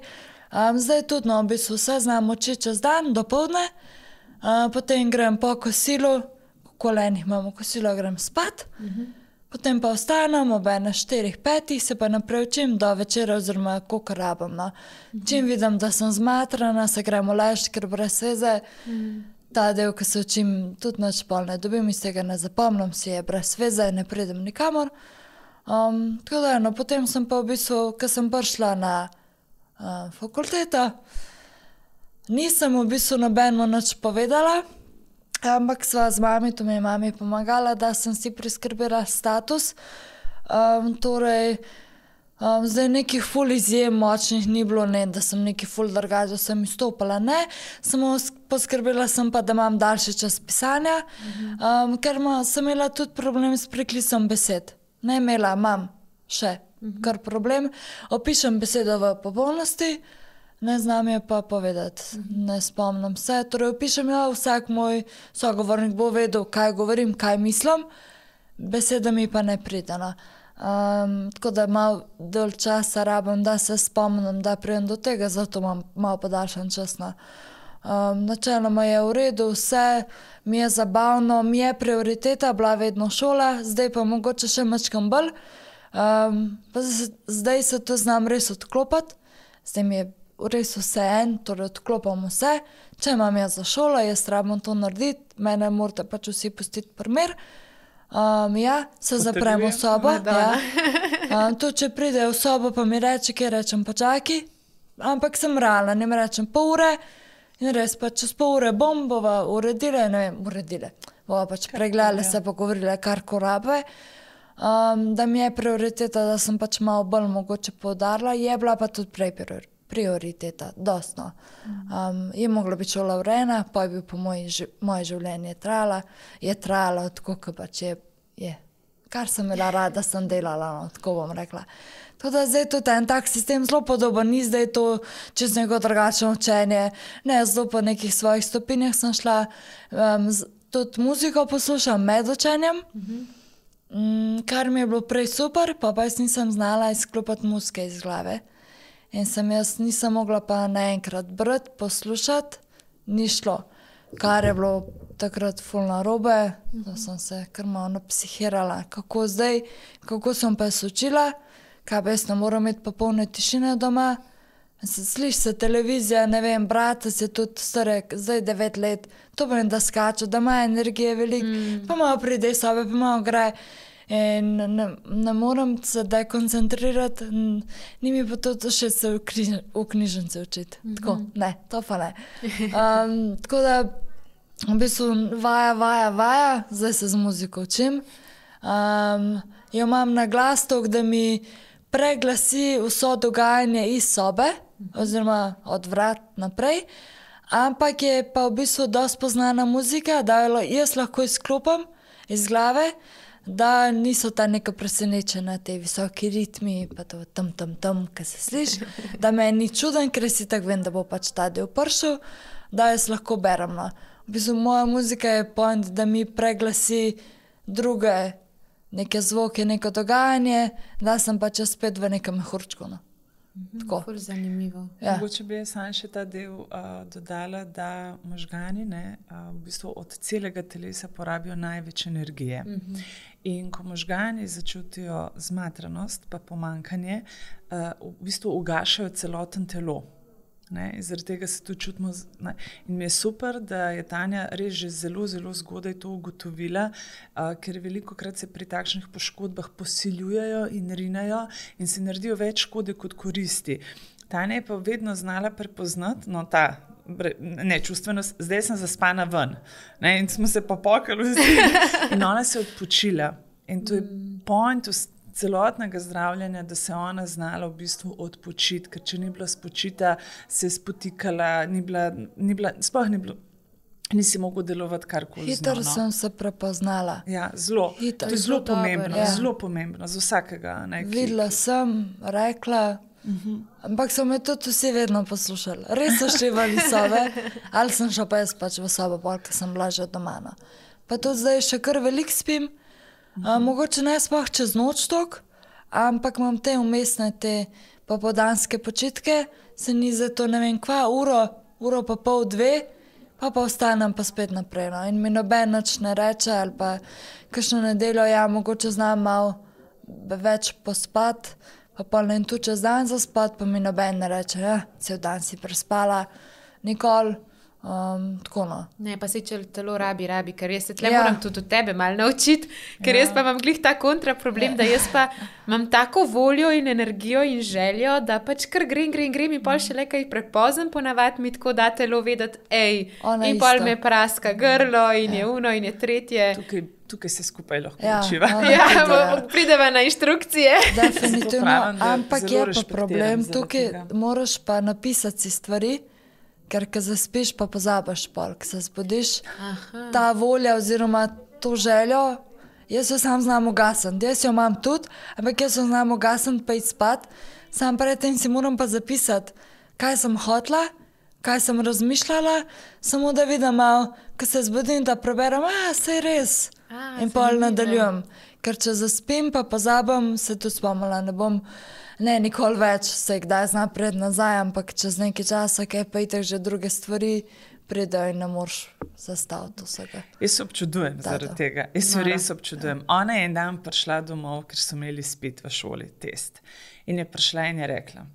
[SPEAKER 3] Um, zdaj tudi, no, v bistvu vse znam oči čez dan, dopoldne, uh, potem grem po kosilu, kolenih imamo kosilo, grem spat, uh-huh. Potem pa ostanem ob ene štirih, petih, se pa naprej učim do večera oziroma koliko rabim. No. Uh-huh. Čim vidim, da sem zmatrana, se gremo ležati, ker brez veze. Uh-huh. Ta del, ki se učim, tudi nič pol ne dobim, iz tega ne zapomnim, si je brez veze, ne pridem nikamor. Um, tako da, no, potem sem pa v bistvu, ko sem prišla na uh, fakulteto, nisem v bistvu nobeno nič povedala, ampak sva z mami, to mi je mami pomagala, da sem si priskrbila status. Um, torej, um, zdaj nekih ful izjem močnih ni bilo, ne, da sem nekih ful drugače, sem izstopala, ne. Samo poskrbila sem pa, da imam daljši čas pisanja, um, ker ma, sem imela tudi problem s preklisom besed. Ne imela, imam še kar problem. Opišem besedo v popolnosti, ne znam je pa povedati, ne spomnim se. Torej, opišem jo, vsak moj sogovornik bo vedel, kaj govorim, kaj mislim, beseda mi pa ne pride. No. Um, tako da malo dolj časa rabim, da se spomnim, da pridem do tega, zato imam malo podaljšan čas. No. Um, načeloma je v redu, vse mi je zabavno, mi je prioriteta bila vedno šola, zdaj pa mogoče še mačkam bolj. Um, pa zdaj se to znam res odklopati, zdaj mi je res vse en, torej odklopam vse. Če imam jaz za šolo, jaz rabim to narediti, mene morate pač vsi pustiti primer. Um, ja, se zapremo v sobo. Ja. Um, to, če pride v sobo, pa mi reče, kaj rečem, pa čaki. Ampak sem realna, ne mi rečem pol ure in res pa čez pol ure bom, bova uredile, ne vem, uredile. Bova pač pregledale, se pogovorile, kar ko rabe. Um, da mi je prioriteta, da sem pač malo bolj mogoče poudarila, je bila pa tudi prej prioriteta. prioriteta, dostno. Um, je mogla biti šola urejena, pa je bil po moji, moje življenje trajala, je trajala tako, kot pač je, je. Kar sem imela rada, sem delala, no, tako bom rekla. Tako da zdaj tudi en tak sistem zelo podoben, ni zdaj to čez neko drugačno učenje, ne, zelo po nekih svojih stopinjah sem šla, um, z, tudi muziko poslušam med učenjem, uh-huh. um, kar mi je bilo prej super, pa pa jaz nisem znala izklopati muzike iz glave. In sem jaz nisem mogla pa naenkrat brati, poslušati, ni šlo. Kar je bilo takrat ful narobe, da sem se kar malo napsihirala. Kako zdaj, kako sem pa se učila, kaj pa jaz ne moram imeti popolne tišine doma. Sliši se televizija, ne vem, brata se tudi starek, zdaj devet let, to pomeni, da skača, da ima energije veliko, mm. pa malo pride sobe, pa malo gre. In ne, ne moram se dekoncentrirati, ni mi pa to še se v, križ, v knjižnici učiti. Mm-hmm. Tako, ne, to pa ne. Um, tako da, v bistvu vaja, vaja, vaja, zdaj se z muziko učim. Um, jo imam na glas tok, da mi preglasi vso dogajanje iz sobe, mm-hmm. oziroma od vrat naprej, ampak je pa v bistvu dosti poznana muzika, da jo jaz lahko izklopam iz glave, da niso ta neka presenečena, te visoki ritmi, pa to tam, tam, tam, kaj se sliši, da me ni čuden, ker si tako vem, da bo pač ta del pršel, da jaz lahko berem. No. V bistvu moja muzika je point, da mi preglasi druge neke zvoke, neko dogajanje, da sem pač spet v nekem mehurčku. No. Tako.
[SPEAKER 1] Ful zanimivo.
[SPEAKER 2] Ja. Mogoče bi sam še ta del uh, dodala, da možgani ne, uh, v bistvu od celega telesa porabijo največ energije. Mm-hmm. In ko možgani začutijo zmatranost pa pomankanje, uh, v bistvu ugašajo celoten telo. Ne, zaradi tega se tu čutimo. Ne. In mi je super, da je Tanja res že zelo, zelo zgodaj to ugotovila, uh, ker veliko krat se pri takšnih poškodbah posiljujejo in rinajo in se naredijo več škode kot koristi. Tanja je pa vedno znala prepoznati, no ta ne, čustvenost, zdaj sem zaspana ven. Ne, in smo se popokali vsi in ona se je odpočila. In to je point celotnega zdravljenja, da se ona znala v bistvu odpočiti, ker če ni bila spočita, se je spotikala, ni bila, ni bila, sploh ni bilo nisi mogel delovati karkoli.
[SPEAKER 3] Hitro
[SPEAKER 2] no.
[SPEAKER 3] sem se prepoznala.
[SPEAKER 2] Ja, zelo.
[SPEAKER 3] Hitro.
[SPEAKER 2] To je zelo
[SPEAKER 1] Zelo
[SPEAKER 2] pomembno,
[SPEAKER 1] dobro,
[SPEAKER 3] ja.
[SPEAKER 2] zelo pomembno za vsakega. Ne, ki,
[SPEAKER 3] Videla sem, rekla, uh-huh. ampak so me tudi vsi vedno poslušali. Res so šivali sobe, ali sem šla pa jaz pač v sobo, ker sem bila že doma. No. Pa tudi zdaj še kar veliko spim, uh-huh. a, mogoče ne sploh čez noč tok, ampak imam te umestne, te popodanske počitke, se ni za to ne vem kva, uro, uro pa pol dve, pa pa ostanem pa spet naprej. No. In mi noben nič ne reče, ali pa kakšno nedeljo, ja, mogoče znam malo več pospat, pa pa ne tu čez dan zaspat, pa mi noben ne reče, ja, cel dan si prespala, nikoli, um, tako no.
[SPEAKER 1] Ne, pa se če telo rabi, rabi, ker jaz se tle
[SPEAKER 3] Ja.
[SPEAKER 1] moram tudi od tebe malo naučiti, ker jaz pa imam glih ta kontra problem, da jaz pa imam tako voljo in energijo in željo, da pač kar grem, grem, grem in pol še le kaj prepozem, ponavadi mi tako da telo vedeti, ej,
[SPEAKER 3] Ona
[SPEAKER 1] in pol
[SPEAKER 3] isto.
[SPEAKER 1] me praska grlo in je uno in je tretje.
[SPEAKER 2] tukaj, tukaj se skupaj lahko
[SPEAKER 3] Ja,
[SPEAKER 2] učiva.
[SPEAKER 3] ona
[SPEAKER 1] Ja,
[SPEAKER 3] tudi, ja.
[SPEAKER 1] bo- prideva na inštrukcije.
[SPEAKER 3] Definitivno,
[SPEAKER 2] pravim, da
[SPEAKER 3] ampak
[SPEAKER 2] zelo
[SPEAKER 3] je pa
[SPEAKER 2] respektiram
[SPEAKER 3] problem,
[SPEAKER 2] zaradi
[SPEAKER 3] tukaj
[SPEAKER 2] tega.
[SPEAKER 3] moraš pa napisati si stvari, ker ko zaspiš, pa pozabiš pol, ko se zbudiš,
[SPEAKER 1] Aha.
[SPEAKER 3] ta volja oziroma to željo, jaz jo sam znam ugasniti, jaz jo imam tudi, ampak jaz jo znam ugasniti pa iti spat, sam predtem si moram pa zapisati, kaj sem hotla, kaj sem razmišljala, samo da vidim malo, ko se zbudim, da preberem, a, saj res.
[SPEAKER 1] A,
[SPEAKER 3] In pol
[SPEAKER 1] zanimivo.
[SPEAKER 3] nadaljujem. Ker če zaspim, pa pozabim, se tudi spomnila, ne bom, ne, nikoli več, se kdaj zna pred nazaj, ampak čez nekaj časa, kaj pa itak že druge stvari pridejo in ne moreš zastaviti vsega.
[SPEAKER 2] Jaz se občudujem
[SPEAKER 3] Da,
[SPEAKER 2] zaradi
[SPEAKER 3] da.
[SPEAKER 2] tega. Jaz se
[SPEAKER 1] Nora.
[SPEAKER 2] res občudujem. Ona je en dan prišla domov, ker so imeli spet v šoli test. In je prišla in je rekla,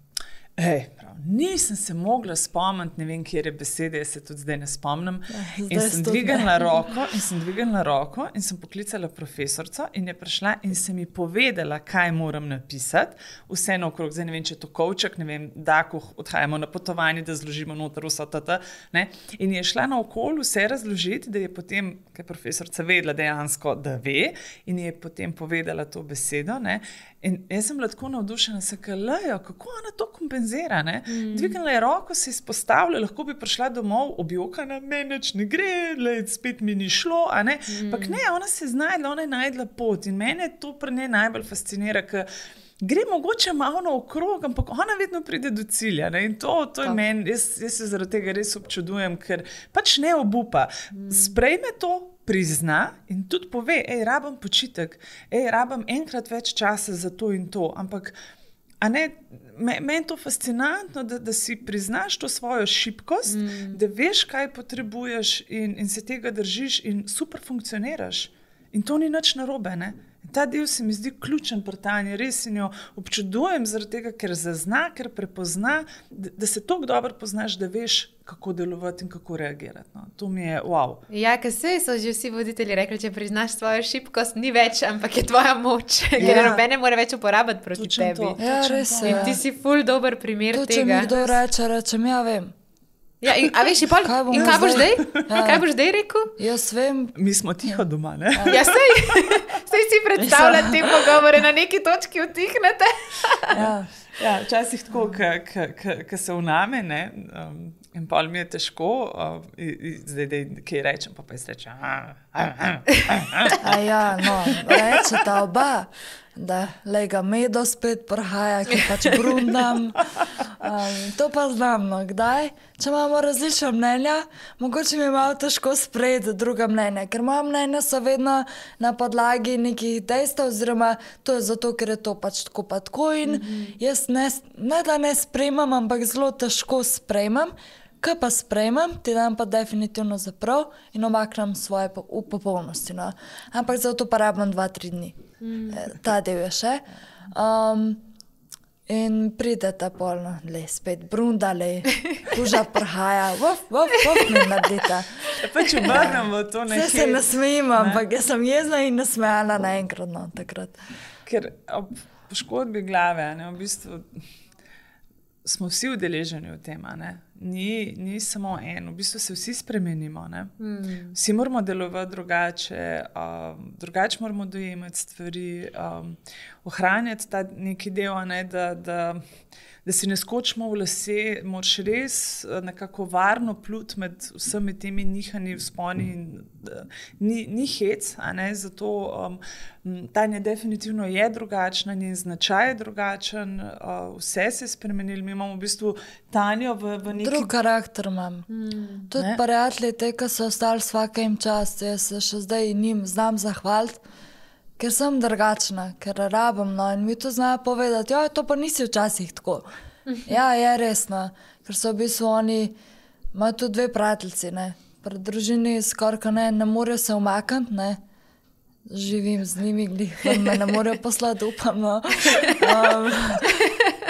[SPEAKER 2] hej, prav, nisem se mogla spomniti, ne vem, kje je besede, jaz se tudi zdaj ne spomnim. In
[SPEAKER 3] zdaj
[SPEAKER 2] sem
[SPEAKER 3] tudi
[SPEAKER 2] dvignila
[SPEAKER 3] ne.
[SPEAKER 2] roko in sem dvignila roko in sem poklicala profesorico in je prišla in se mi povedala, kaj moram napisati. Vse naokrog, zdaj ne vem, če je to kovček, ne vem, da ko odhajamo na potovanje, da zložimo noter vsa tata. Ne? In je šla naokoli vse razložiti, da je potem, ker je profesorica vedela dejansko, da ve, in je potem povedala to besedo. Ne? In jaz sem bila tako navdušena, se kalejo, kako ona to kompenzira. Mm. Dvignila je roko, se izpostavila, lahko bi prišla domov, objokana, meni nič ne gre, lej, spet mi ni šlo. Ampak mm. ne, ona se je znajdla, ona je najdla pot. In mene to pri njej najbolj fascinira, ker gre mogoče malo naokrog, ampak ona vedno pride do cilja. Ne? In to, to je meni, jaz, jaz se zaradi tega res občudujem, ker pač ne obupa. Mm. Sprejme to, prizna in tudi pove, ej, rabam počitek, ej, rabam enkrat več časa za to in to, ampak a ne, me, meni je to fascinantno, da, da si priznaš to svojo šibkost, mm. da veš, kaj potrebuješ in, in se tega držiš in super funkcioniraš. In to ni nič narobe, ne? Ta del se mi zdi ključen pri Tanji, res in jo občudujem zaradi tega, ker zazna, ker prepozna, da, da se toliko dobro poznaš, da veš, kako delovati in kako reagirati. No. To mi je wow.
[SPEAKER 1] Ja, ker se so že vsi voditelji rekli, če priznaš svojo šibkost, ni več, ampak je tvoja moč,
[SPEAKER 2] Ja.
[SPEAKER 1] ker noben ne more več uporabiti proti
[SPEAKER 2] Točno
[SPEAKER 1] tebi.
[SPEAKER 2] to.
[SPEAKER 3] Ja,
[SPEAKER 2] Točno
[SPEAKER 3] res
[SPEAKER 2] to.
[SPEAKER 3] je.
[SPEAKER 1] In ti si ful dober primer
[SPEAKER 3] To, če mi
[SPEAKER 1] tega.
[SPEAKER 3] kdo reče, rečem, ja vem.
[SPEAKER 1] Ja, in, a veš, in pol,
[SPEAKER 3] Kaj bom
[SPEAKER 1] in kaj boš
[SPEAKER 3] zdaj?
[SPEAKER 1] zdaj?
[SPEAKER 3] Ja.
[SPEAKER 1] Kaj boš zdaj rekel?
[SPEAKER 3] Jaz vem,
[SPEAKER 2] Mi smo tiho doma, ne?
[SPEAKER 1] Ja, sej, sej si predstavljati te pogovore, na neki točki utihnete.
[SPEAKER 3] ja.
[SPEAKER 2] Ja, včasih tako, ko se vname, ne, um, in pol mi je težko, uh, i, i, zdaj, da kaj rečem, pa pa jaz rečem. "Ah, ah, ah, ah, ah."
[SPEAKER 3] A ja, no, rečeta oba, da lega medo spet prihaja, ki pač brundam. Um, to pa znam, no, kdaj? Če imamo različna mnenja, mogoče mi je malo težko sprejeti druga mnenja, ker moja mnenja so vedno na podlagi nekih dejstev, oziroma to je zato, ker je to pač tako pa tako in mm-hmm. jaz ne, ne da ne sprejmem, ampak zelo težko sprejmem. Kaj pa sprejmem, ti dam pa definitivno zaprav in omaknem svoje po, v popolnosti. No. Ampak za to pa rabim dva, tri dni. Mm. Ta del je še. Um, in pride ta polno, le spet brunda, le kuža prihaja, vov, vov, vov, mi naredita.
[SPEAKER 2] Pač obrnemo to
[SPEAKER 3] Vse
[SPEAKER 2] nekaj.
[SPEAKER 3] se nasmejim, ampak jaz sem jezna in nasmejala naenkrat, no, takrat.
[SPEAKER 2] Ker ob poškodbi glave, ne, v bistvu smo vsi udeleženi v tem. Ne? ni, ni samo en, v bistvu se vsi spremenimo. Mm. Vsi moramo delovati drugače, um, drugače moramo dojemati stvari, um, ohranjati ta neki del, ne, da, da, da si ne skočimo v lase, moraš res nekako varno pluti med vsemi temi nihanji, vzponi. In, ni, ni hec, a ne, zato um, Tanja definitivno je drugačna, njen značaj je drugačen, uh, vse se je spremenilo. Mi imamo v bistvu Tanjo v, v neki...
[SPEAKER 3] Drug karakter imam. Hmm. Tudi prijatelji, te, ki so ostali vsakem čast, jaz se še zdaj njim znam zahvaliti, ker sem drugačna, ker rabim, no, in mi to znajo povedati, ja, to pa nisi včasih tako. Ja, je resno, ker so v bistvu oni, imajo tudi dve prijateljci, ne, pri družini skoraj ne, ne morejo se umakniti, ne, živim z njimi, glih, me ne morejo poslati, upam, no. Um,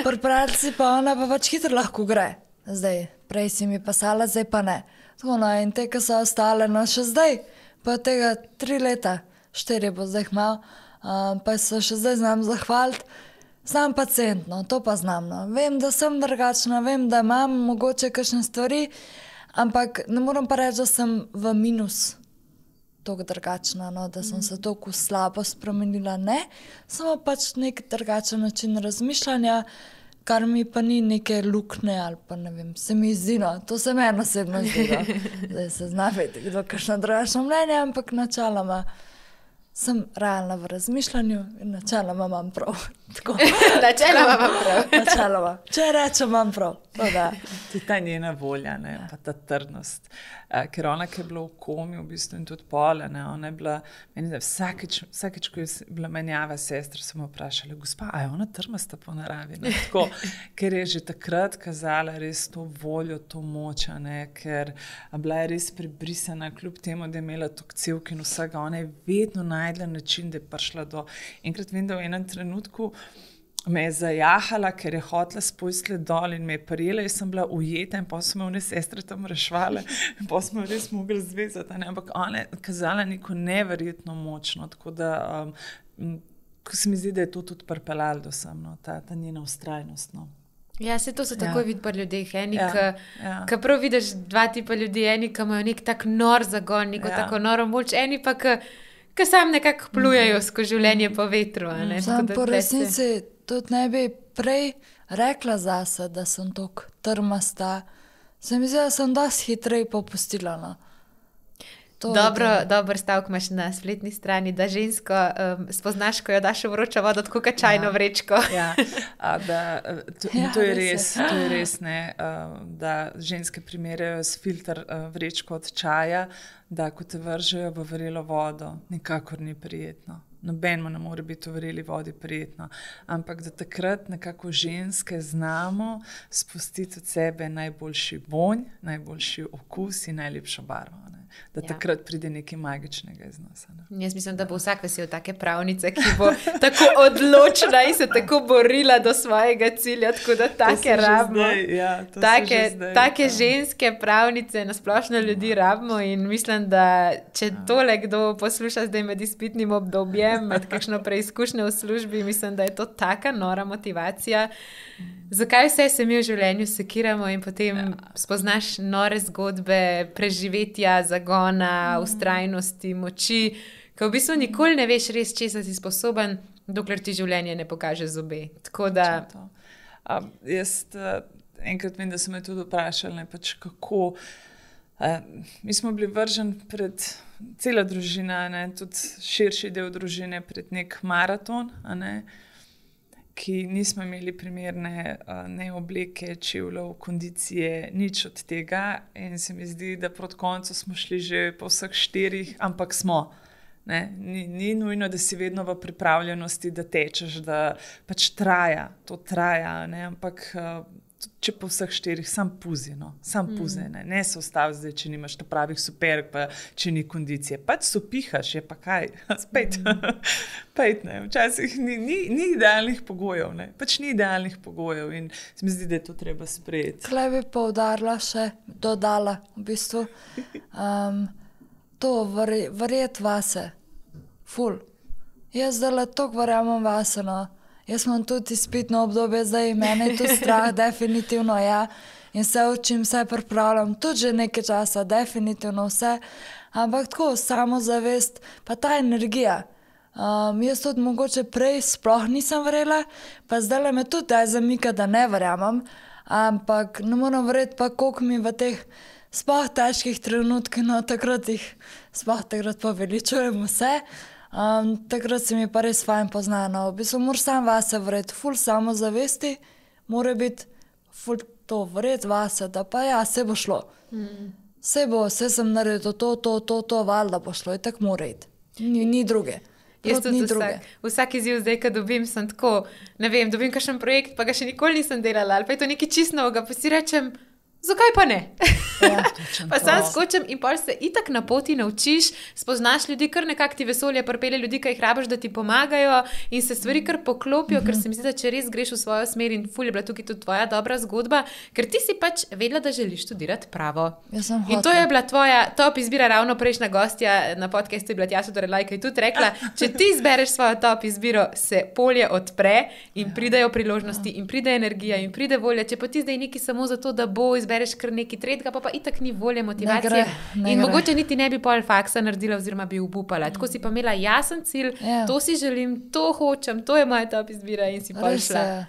[SPEAKER 3] pri prijateljci pa ona pa pač hitro lahko gre, zdaj, prej si mi pasala, zdaj pa ne. Tako, no, in te, ki so ostale, no, še zdaj, pa tega tri leta, štiri bo zdaj malo, um, pa se še zdaj znam zahvaliti. Sam pacient, no, to pa znam, no. Vem, da sem drugačna, vem, da imam mogoče kakšne stvari, ampak ne moram pa reči, da sem v minus toliko drugačna, no, da sem se toliko slabo spremenila, ne. Samo pač nek drugačen način razmišljanja, kar mi pa ni neke lukne ali pa ne vem, se mi zdi, no, to se meni osebno zdi, no. Zdaj se zna vedeti, kdo kakšno drugačno mnenje, ampak načeloma sem realna v razmišljanju in načeloma imam prav.
[SPEAKER 1] Načeloma imam prav.
[SPEAKER 3] Načeloma. Če rečem, imam prav.
[SPEAKER 2] Tudi ta njena volja, ne, ja. Pa ta trdnost. Uh, ker ona, ki je bila v komi v bistvu in tudi pole, ne, ona je bila, meni da vsakeč, vsakeč, ko je bila menjava sestra, so me vprašali, gospa, a je ona trmasta po naravi? Ne, tako, ker je že takrat kazala res to voljo, to moč, ne, ker bila je res prebrisana, kljub temu, da je imela tokcevk in vsega, ona je vedno najdla način, da je prišla do... Enkrat vem, da v enem trenutku me je zajahala, ker je hotela spojstle dol in me je prijela, jaz sem bila ujeta in pa so me one sestre tam rešvale in pa smo res mogli zvezati, ne? Ampak ona je kazala neko neverjetno močno, tako da um, ko se mi zdi, da je to tudi pripeljalo do sem, no? ta, ta njena vztrajnost. No?
[SPEAKER 1] Ja, se to se tako
[SPEAKER 2] Ja.
[SPEAKER 1] vidi pri ljudeh. Eni,
[SPEAKER 2] Ja,
[SPEAKER 1] ki
[SPEAKER 2] ja.
[SPEAKER 1] ki prav vidiš dva tipa ljudi, eni, ki imajo nek tak nor zagon, neko
[SPEAKER 2] Ja.
[SPEAKER 1] tako noro moč, eni pa, ki ki sam nekako plujejo skozi življenje po vetru. a ne.
[SPEAKER 3] Sam
[SPEAKER 1] Tako da
[SPEAKER 3] po
[SPEAKER 1] tle se-
[SPEAKER 3] resnici tudi ne bi prej rekla zase, da sem toliko trmasta. Se mi zdi, da sem dosti hitreje popustila. No. To je
[SPEAKER 1] Dobro,
[SPEAKER 3] to.
[SPEAKER 1] dober stavek imaš na spletni strani, da žensko um, spoznaš, ko jo daš v vročo vodo, tako kot čajno
[SPEAKER 2] Ja.
[SPEAKER 1] vrečko.
[SPEAKER 2] Ja, a, da, to,
[SPEAKER 3] Ja,
[SPEAKER 2] ja, to je
[SPEAKER 3] res je.
[SPEAKER 2] res, to je res ne, a, da ženske primerjajo s filter a, vrečko od čaja, da ko te vržejo v vrelo vodo, nikakor ni prijetno. Nobenemu ne more biti v vreli vodi prijetno, ampak da takrat nekako ženske znamo spustiti od sebe najboljši vonj, najboljši okus in najlepšo barvo. Ne? Da
[SPEAKER 1] Ja.
[SPEAKER 2] takrat pride nekaj magičnega iz nas. Ne?
[SPEAKER 1] Jaz mislim, da bo vsak vesel take pravnice, ki bo tako odločna in se tako borila do svojega cilja, tako da
[SPEAKER 2] To se
[SPEAKER 1] take
[SPEAKER 2] že
[SPEAKER 1] rabimo.
[SPEAKER 2] zdaj, ja, to se
[SPEAKER 1] Take,
[SPEAKER 2] že zdaj,
[SPEAKER 1] take
[SPEAKER 2] ja.
[SPEAKER 1] ženske pravnice na splošno ljudi rabimo in mislim, da če tole kdo posluša zdaj med izpitnim obdobjem, med kakšno preizkušnjo v službi, mislim, da je to taka nora motivacija. Zakaj vse se mi v življenju sekiramo in potem ja. spoznaš nore zgodbe preživetja, zagona, vztrajnosti, moči, ko v bistvu nikoli ne veš res, česa si sposoben, dokler ti življenje ne pokaže zobe. Tako da...
[SPEAKER 2] To. A, jaz uh, enkrat vem, da so me tudi vprašali, ne, pač kako. Uh, mi smo bili vrženi pred cela družina, ne, tudi širši del družine, pred nek maraton, a ne, ki nismo imeli primerne uh, ne obleke, čevljev, kondicije, nič od tega. In se mi zdi, da proti koncu smo šli že po vseh štirih, ampak smo. Ne, ni, ni nujno, da si vedno v pripravljenosti, da tečeš, da pač traja, to traja, ne, ampak uh, če po vseh štirih, sam puzi, no, sam puzi, ne, ne se ustavi zdaj, če nimaš ta pravih superg, pa če ni kondicije, pač sopihaš, je pa kaj, spet, pejt, ne, včasih ni, ni, ni idealnih pogojev, ne, pač ni idealnih pogojev in se mi zdi, da je to treba sprejeti.
[SPEAKER 3] Tule bi poudarila še, dodala v bistvu, um, to verje, verjeti vase, ful. Jaz zdaj toliko verjamem vase, no. Jaz imam tudi izpitno obdobje, zdaj mene je to strah, definitivno, ja. in se učim, se pripravljam, tudi že nekaj časa, definitivno vse, ampak tako samozavest, pa ta energija. Um, jaz tudi mogoče prej sploh nisem verjela, pa zdaj me tudi daj zamika, da ne verjamem, ampak ne moram verjeti pa, koliko mi v teh sploh težkih trenutkih, no takrat jih sploh takrat poveličujem vse. Um, takrat se mi pa res fajn poznano. V bistvu moraš sam vase verjeti, ful samozavesti, mora biti ful to verjeti vase, da pa ja, se bo šlo. Mm. Se bo, se sem naredil to, to, to, to, valjda bo šlo, in tako mora iti. Ni, ni druge.
[SPEAKER 1] Jaz tudi vsak, vsak izziv zdaj, ko dobim, sem tako, ne vem, dobim kakšen projekt, pa ga še nikoli nisem delala, ali pa je to nekaj čisto novega, pa si rečem, zakaj pa ne? Ja, pa sam skočim in pol se itak na poti naučiš, spoznaš ljudi, kar nekako ti vesolje pripelje ljudi, ki jih rabiš, da ti pomagajo in se stvari kar poklopijo, mm-hmm. ker se mi zdi, da če res greš v svojo smer in ful je bila tukaj tudi tvoja dobra zgodba, ker ti si pač vedela, da želiš študirati pravo. In to je bila tvoja top izbira, ravno prejšnja gostja na podcastu je bila Tjaša Dorelaj, ki je tudi rekla, če ti izbereš svojo top izbiro, se polje odpre in pridejo priložnosti in pride energija in pride volja, če pa ti zdaj neki samo zato, da bo izbereš kar neki tretjega, pa pa itak ni volje, motivacije. Ne gre, ne in gre. Mogoče niti ne bi pol faksa naredila oziroma bi upala. Tako si pa imela jasen cilj, yeah. to si želim, to hočem, to je moja top izbira in si pol šla.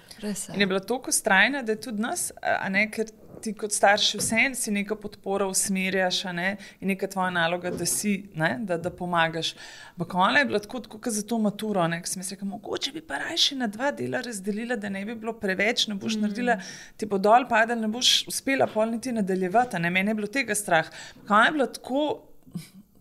[SPEAKER 2] In je bila toliko strajna, da je tudi nas, a ne, ker ti kot starši vsem si neka podpora usmerjaš, a ne, in neka tvoja naloga, da si, ne, da, da pomagaš. Ampak ona je bila tako, tako kot za to maturo, ne, ko sem jaz rekla, mogoče bi pa rajši na dva dela razdelila, da ne bi bilo preveč, ne boš mm. naredila, ti bo dol padel, ne boš uspela pol niti nadaljevati, a ne, meni je bilo tega strah. Ampak ona je bila tako,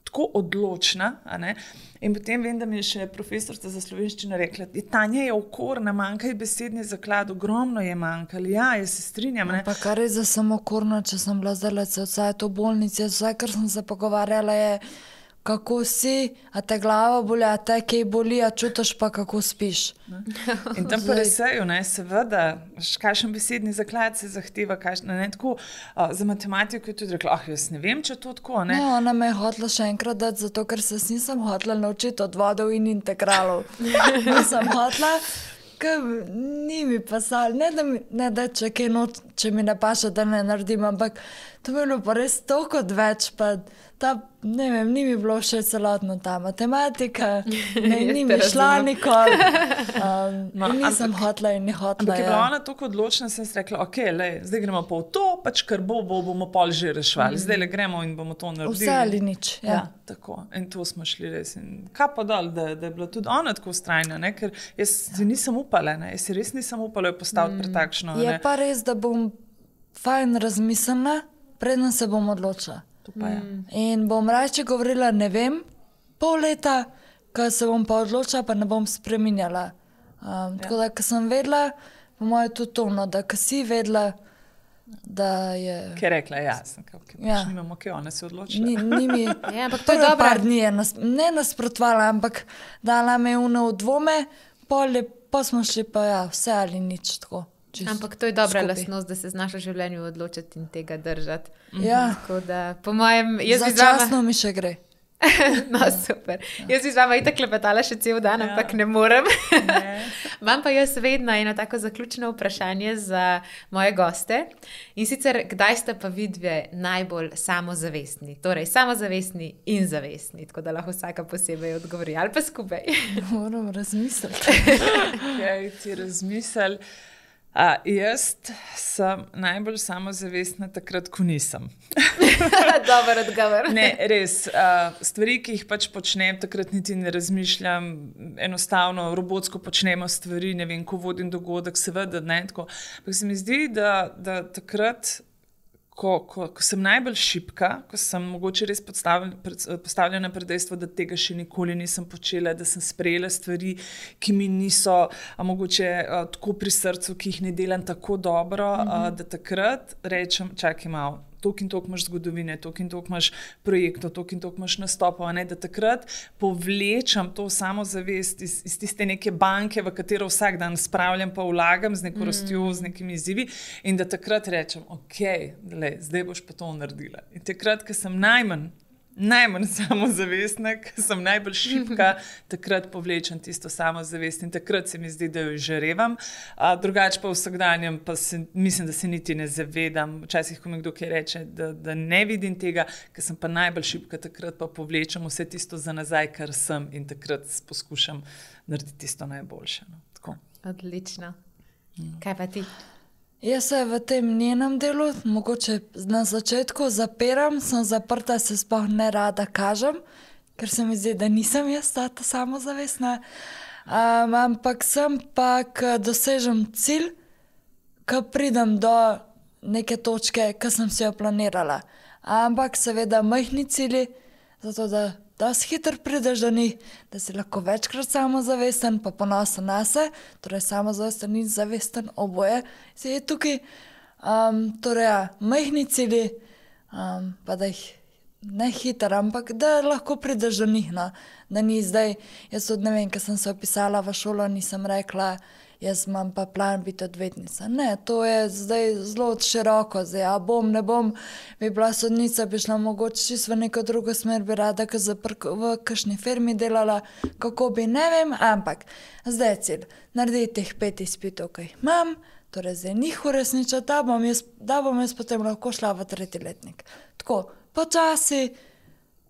[SPEAKER 2] tako odločna, a ne, in potem vem, da mi je še profesorica za slovenščino rekla, Tanja je okorna, manjka je besedni zaklad, ogromno je manjkalo, ja, jaz se strinjam. Ne?
[SPEAKER 3] Pa kar je za samo okorna, če sem bila zdaj vse to bolnice, vse, kar sem se pogovarjala je, kako si, a te glava boli, a te kaj boli, a čutiš pa, kako spiš.
[SPEAKER 2] Ne? In tam pa resejo, ne, seveda, kakšen besedni zaklad se zahteva, kakšen, ne, tako, a, za matematiko je tudi rekla, ah, jaz ne vem, če to tako, ne.
[SPEAKER 3] Ne, ona me je hotela še enkrat dati, zato ker se nisem hotela naučiti odvodov in integralov. Nisem hotela, ker ni mi pasal, ne da, mi, ne da če kaj noč, če mi ne paša, da ne naredim, ampak to bi bilo pa res toliko odveč, pa ta, ne vem, ni mi bilo še celotno ta matematika, ne, ni mi šla nikoli. Um, no, nisem ampak, hotla in ni hotla.
[SPEAKER 2] Ampak je bila ja. Ona tako odločna, sem si rekla, ok, lej, zdaj gremo pa v to, pač kar bo, bo bomo pol že rešvali. Mm. Zdaj le gremo in bomo to naredili.
[SPEAKER 3] Vse ali nič, ja.
[SPEAKER 2] Ja, tako. In to smo šli res. In kapo dol, da, da je bila tudi ona tako ustrajna, ne, ker jaz si nisem upala, ne, jaz si res nisem upala jo postaviti mm. pred takšno.
[SPEAKER 3] Je ne. Pa res, da bom fajn razmislila, predno se bom odločila.
[SPEAKER 2] Mm.
[SPEAKER 3] In bom raje govorila, ne vem, pol leta, ko se bom pa odločila, pa ne bom spreminjala. Um, ja. Tako da, ko sem vedela, po moje tudi to, no, da ko si vedela, da je...
[SPEAKER 2] Kaj rekla, ja, sem kao, kaj ja. Nimamo, kaj ona se odločila.
[SPEAKER 3] Ni, ni mi,
[SPEAKER 1] ja, ampak to je dobra.
[SPEAKER 3] Par dni je nas, ne nasprotvala, ampak dala me uno v dvome, pol je, pa smo šli pa ja, vse ali nič tako.
[SPEAKER 1] Ampak to je dobra lastnost, da se znaš v življenju odločiti in tega držati.
[SPEAKER 3] Ja.
[SPEAKER 1] Tako da, po mojem, jaz bi z
[SPEAKER 3] vama... Začasno mi še gre.
[SPEAKER 1] No, super. Ja. Jaz bi z vama itak klepetala še cel dan, ja. Ampak ne morem. Ne. Imam pa jaz vedno eno tako zaključno vprašanje za moje goste. In sicer, kdaj ste pa vidve najbolj samozavestni? Torej, samozavestni in zavestni. Tako da lahko vsaka posebej odgovori. Ali pa skupaj.
[SPEAKER 3] Moram razmisliti.
[SPEAKER 2] Kaj ti razmisel? Uh, jaz sem najbolj samozavestna takrat, ko nisem.
[SPEAKER 1] Dobar odgovor.
[SPEAKER 2] Ne, res. Uh, stvari, ki jih pač počnem, takrat niti ne razmišljam. Enostavno, robotsko počnemo stvari, ne vem, ko vodim dogodek, seveda, ne, tako. Ampak se mi zdi, da, da takrat, ko, ko, ko sem najbolj šibka, ko sem mogoče res postavljena pred dejstvo, da tega še nikoli nisem počela, da sem sprejela stvari, ki mi niso a mogoče a, tako pri srcu, ki jih ne delam tako dobro, mm-hmm. a, da takrat rečem, čakaj malo, toliko in toliko imaš zgodovine, toliko in toliko imaš projektov, toliko in toliko imaš nastopov, ne, da takrat povlečem to samozavest iz, iz tiste neke banke, v katero vsak dan spravljam pa vlagam z neko mm. rastjo, z nekimi izzivi in da takrat rečem, ok, le, zdaj boš pa to naredila. In takrat, ko sem najmanj najmanj samozavestna, ker sem najbolj šibka, takrat povlečem tisto samozavest in takrat se mi zdi, da jo žarevam. Drugače pa v vsakdanjem pa se, mislim, da se niti ne zavedam. Včasih, ko mi kdo kaj reče, da, da ne vidim tega, ker sem pa najbolj šibka, takrat pa povlečem vse tisto za nazaj, kar sem in takrat poskušam narediti tisto najboljše. No. Tako.
[SPEAKER 1] Odlično. Kaj pa ti?
[SPEAKER 3] Jaz se v tem njenem delu, mogoče na začetku zapiram, sem zaprta, se sploh ne rada kažem, ker se mi zdi, da nisem jaz ta samozavestna. Um, ampak sem pa, ko dosežem cilj, ko pridem do neke točke, ko sem si jo planirala. Ampak seveda majhni cilji, zato da da si hitro prideš do njih, da si lahko večkrat samozavesten, pa ponosen na se, torej samozavesten in zavesten oboje si je tukaj. Um, torej, ja, majhni cilji, um, pa da jih ne hitro, ampak da lahko prideš do njih, no. Da ni zdaj, jaz tudi ne vem, ko sem se opisala v šolo, nisem rekla, jaz imam pa plan biti odvetnica. Ne, to je zdaj zelo široko, zdaj, a bom, ne bom, bi bila sodnica, bi šla mogoče čisto v neko drugo smer, bi rada v kakšni firmi delala, kako bi, ne vem, ampak zdaj je cilj, narediti teh pet izpitov, ki jih imam, torej zdaj njih uresničati, da bom jaz, da bom jaz potem lahko šla v tretji letnik. Tako, počasi,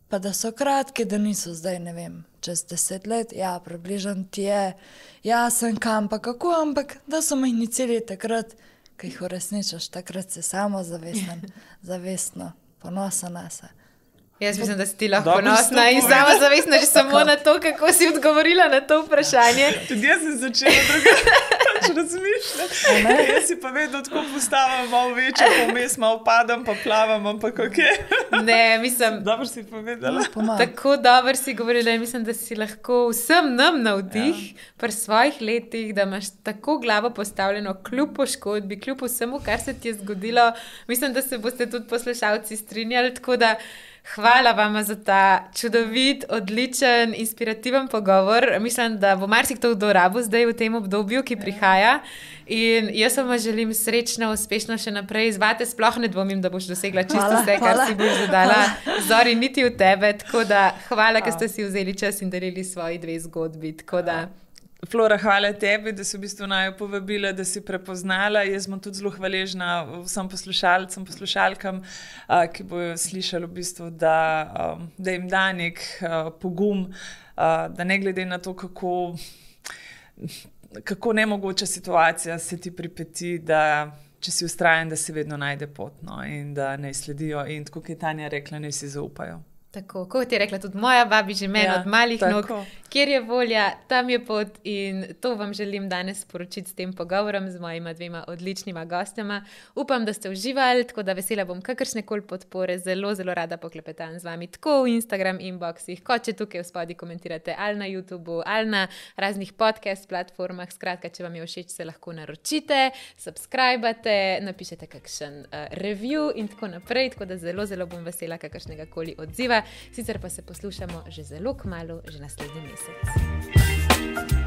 [SPEAKER 3] pa da so kratki, da niso zdaj, ne vem, čez deset let, ja, približan ti je, jasen kam pa kako, ampak da so majhni cilji takrat, ko jih uresničaš, takrat si samo zavesten, zavestno, ponosen na se.
[SPEAKER 1] Jaz mislim, da si ti lahko ponosna in samo zavestna že samo na to, kako si odgovorila na to vprašanje.
[SPEAKER 2] Tudi jaz sem začela drugače razmišljati. Jaz si pa vedno tako postavim malo večje, pa vmes malo padam, pa plavam, ampak ok.
[SPEAKER 1] Ne, mislim...
[SPEAKER 2] Dobro si povedala.
[SPEAKER 1] Tako dobro si govorila in mislim, da si lahko vsem nam navdih ja. Pri svojih letih, da imaš tako glavo postavljeno kljub poškodbi, kljub vsemu, kar se ti je zgodilo. Mislim, da se boste tudi poslušalci strinjali, tako da hvala vama za ta čudovit, odličen, inspirativen pogovor. Mislim, da bo marsikdo dorabil zdaj v tem obdobju, ki prihaja. In jaz vam želim srečno, uspešno še naprej. Zvate sploh ne dvomim, da boš dosegla čisto hvala, vse, kar hvala. Si boš zadala. Zori, niti v tebe. Tako da hvala, ker ste si vzeli čas in delili svoji dve zgodbi. Tako da...
[SPEAKER 2] Flora, hvala tebi, da si v bistvu naju povabila, da si prepoznala. Jaz sem tudi zelo hvaležna vsem poslušalcem, poslušalkam, ki bojo slišali v bistvu, da, da jim da nek pogum, da ne glede na to, kako, kako nemogoča situacija se ti pripeti, da če si vztrajen, da si vedno najde pot, no, in da ne sledijo. In tako, kot je Tanja rekla, ne si zaupajo.
[SPEAKER 1] Tako, kot je rekla tudi moja babi, že meni ja, od malih tako. Nog, kjer je volja, tam je pot in to vam želim danes sporočiti s tem pogovorom z mojima dvema odličnima gostema. Upam, da ste uživali, tako da vesela bom kakršne koli podpore, zelo, zelo rada poklepetam z vami, tako v Instagram inboxih, kot če tukaj v spodaj komentirate ali na YouTubeu, ali na raznih podcast platformah. Skratka, če vam je všeč, se lahko naročite, subscribate, napišete kakšen uh, review in tako naprej, tako da zelo, zelo bom vesela kakršnega koli odziva. Sicer pa se poslušamo že zelo kmalu, že naslednji mesec.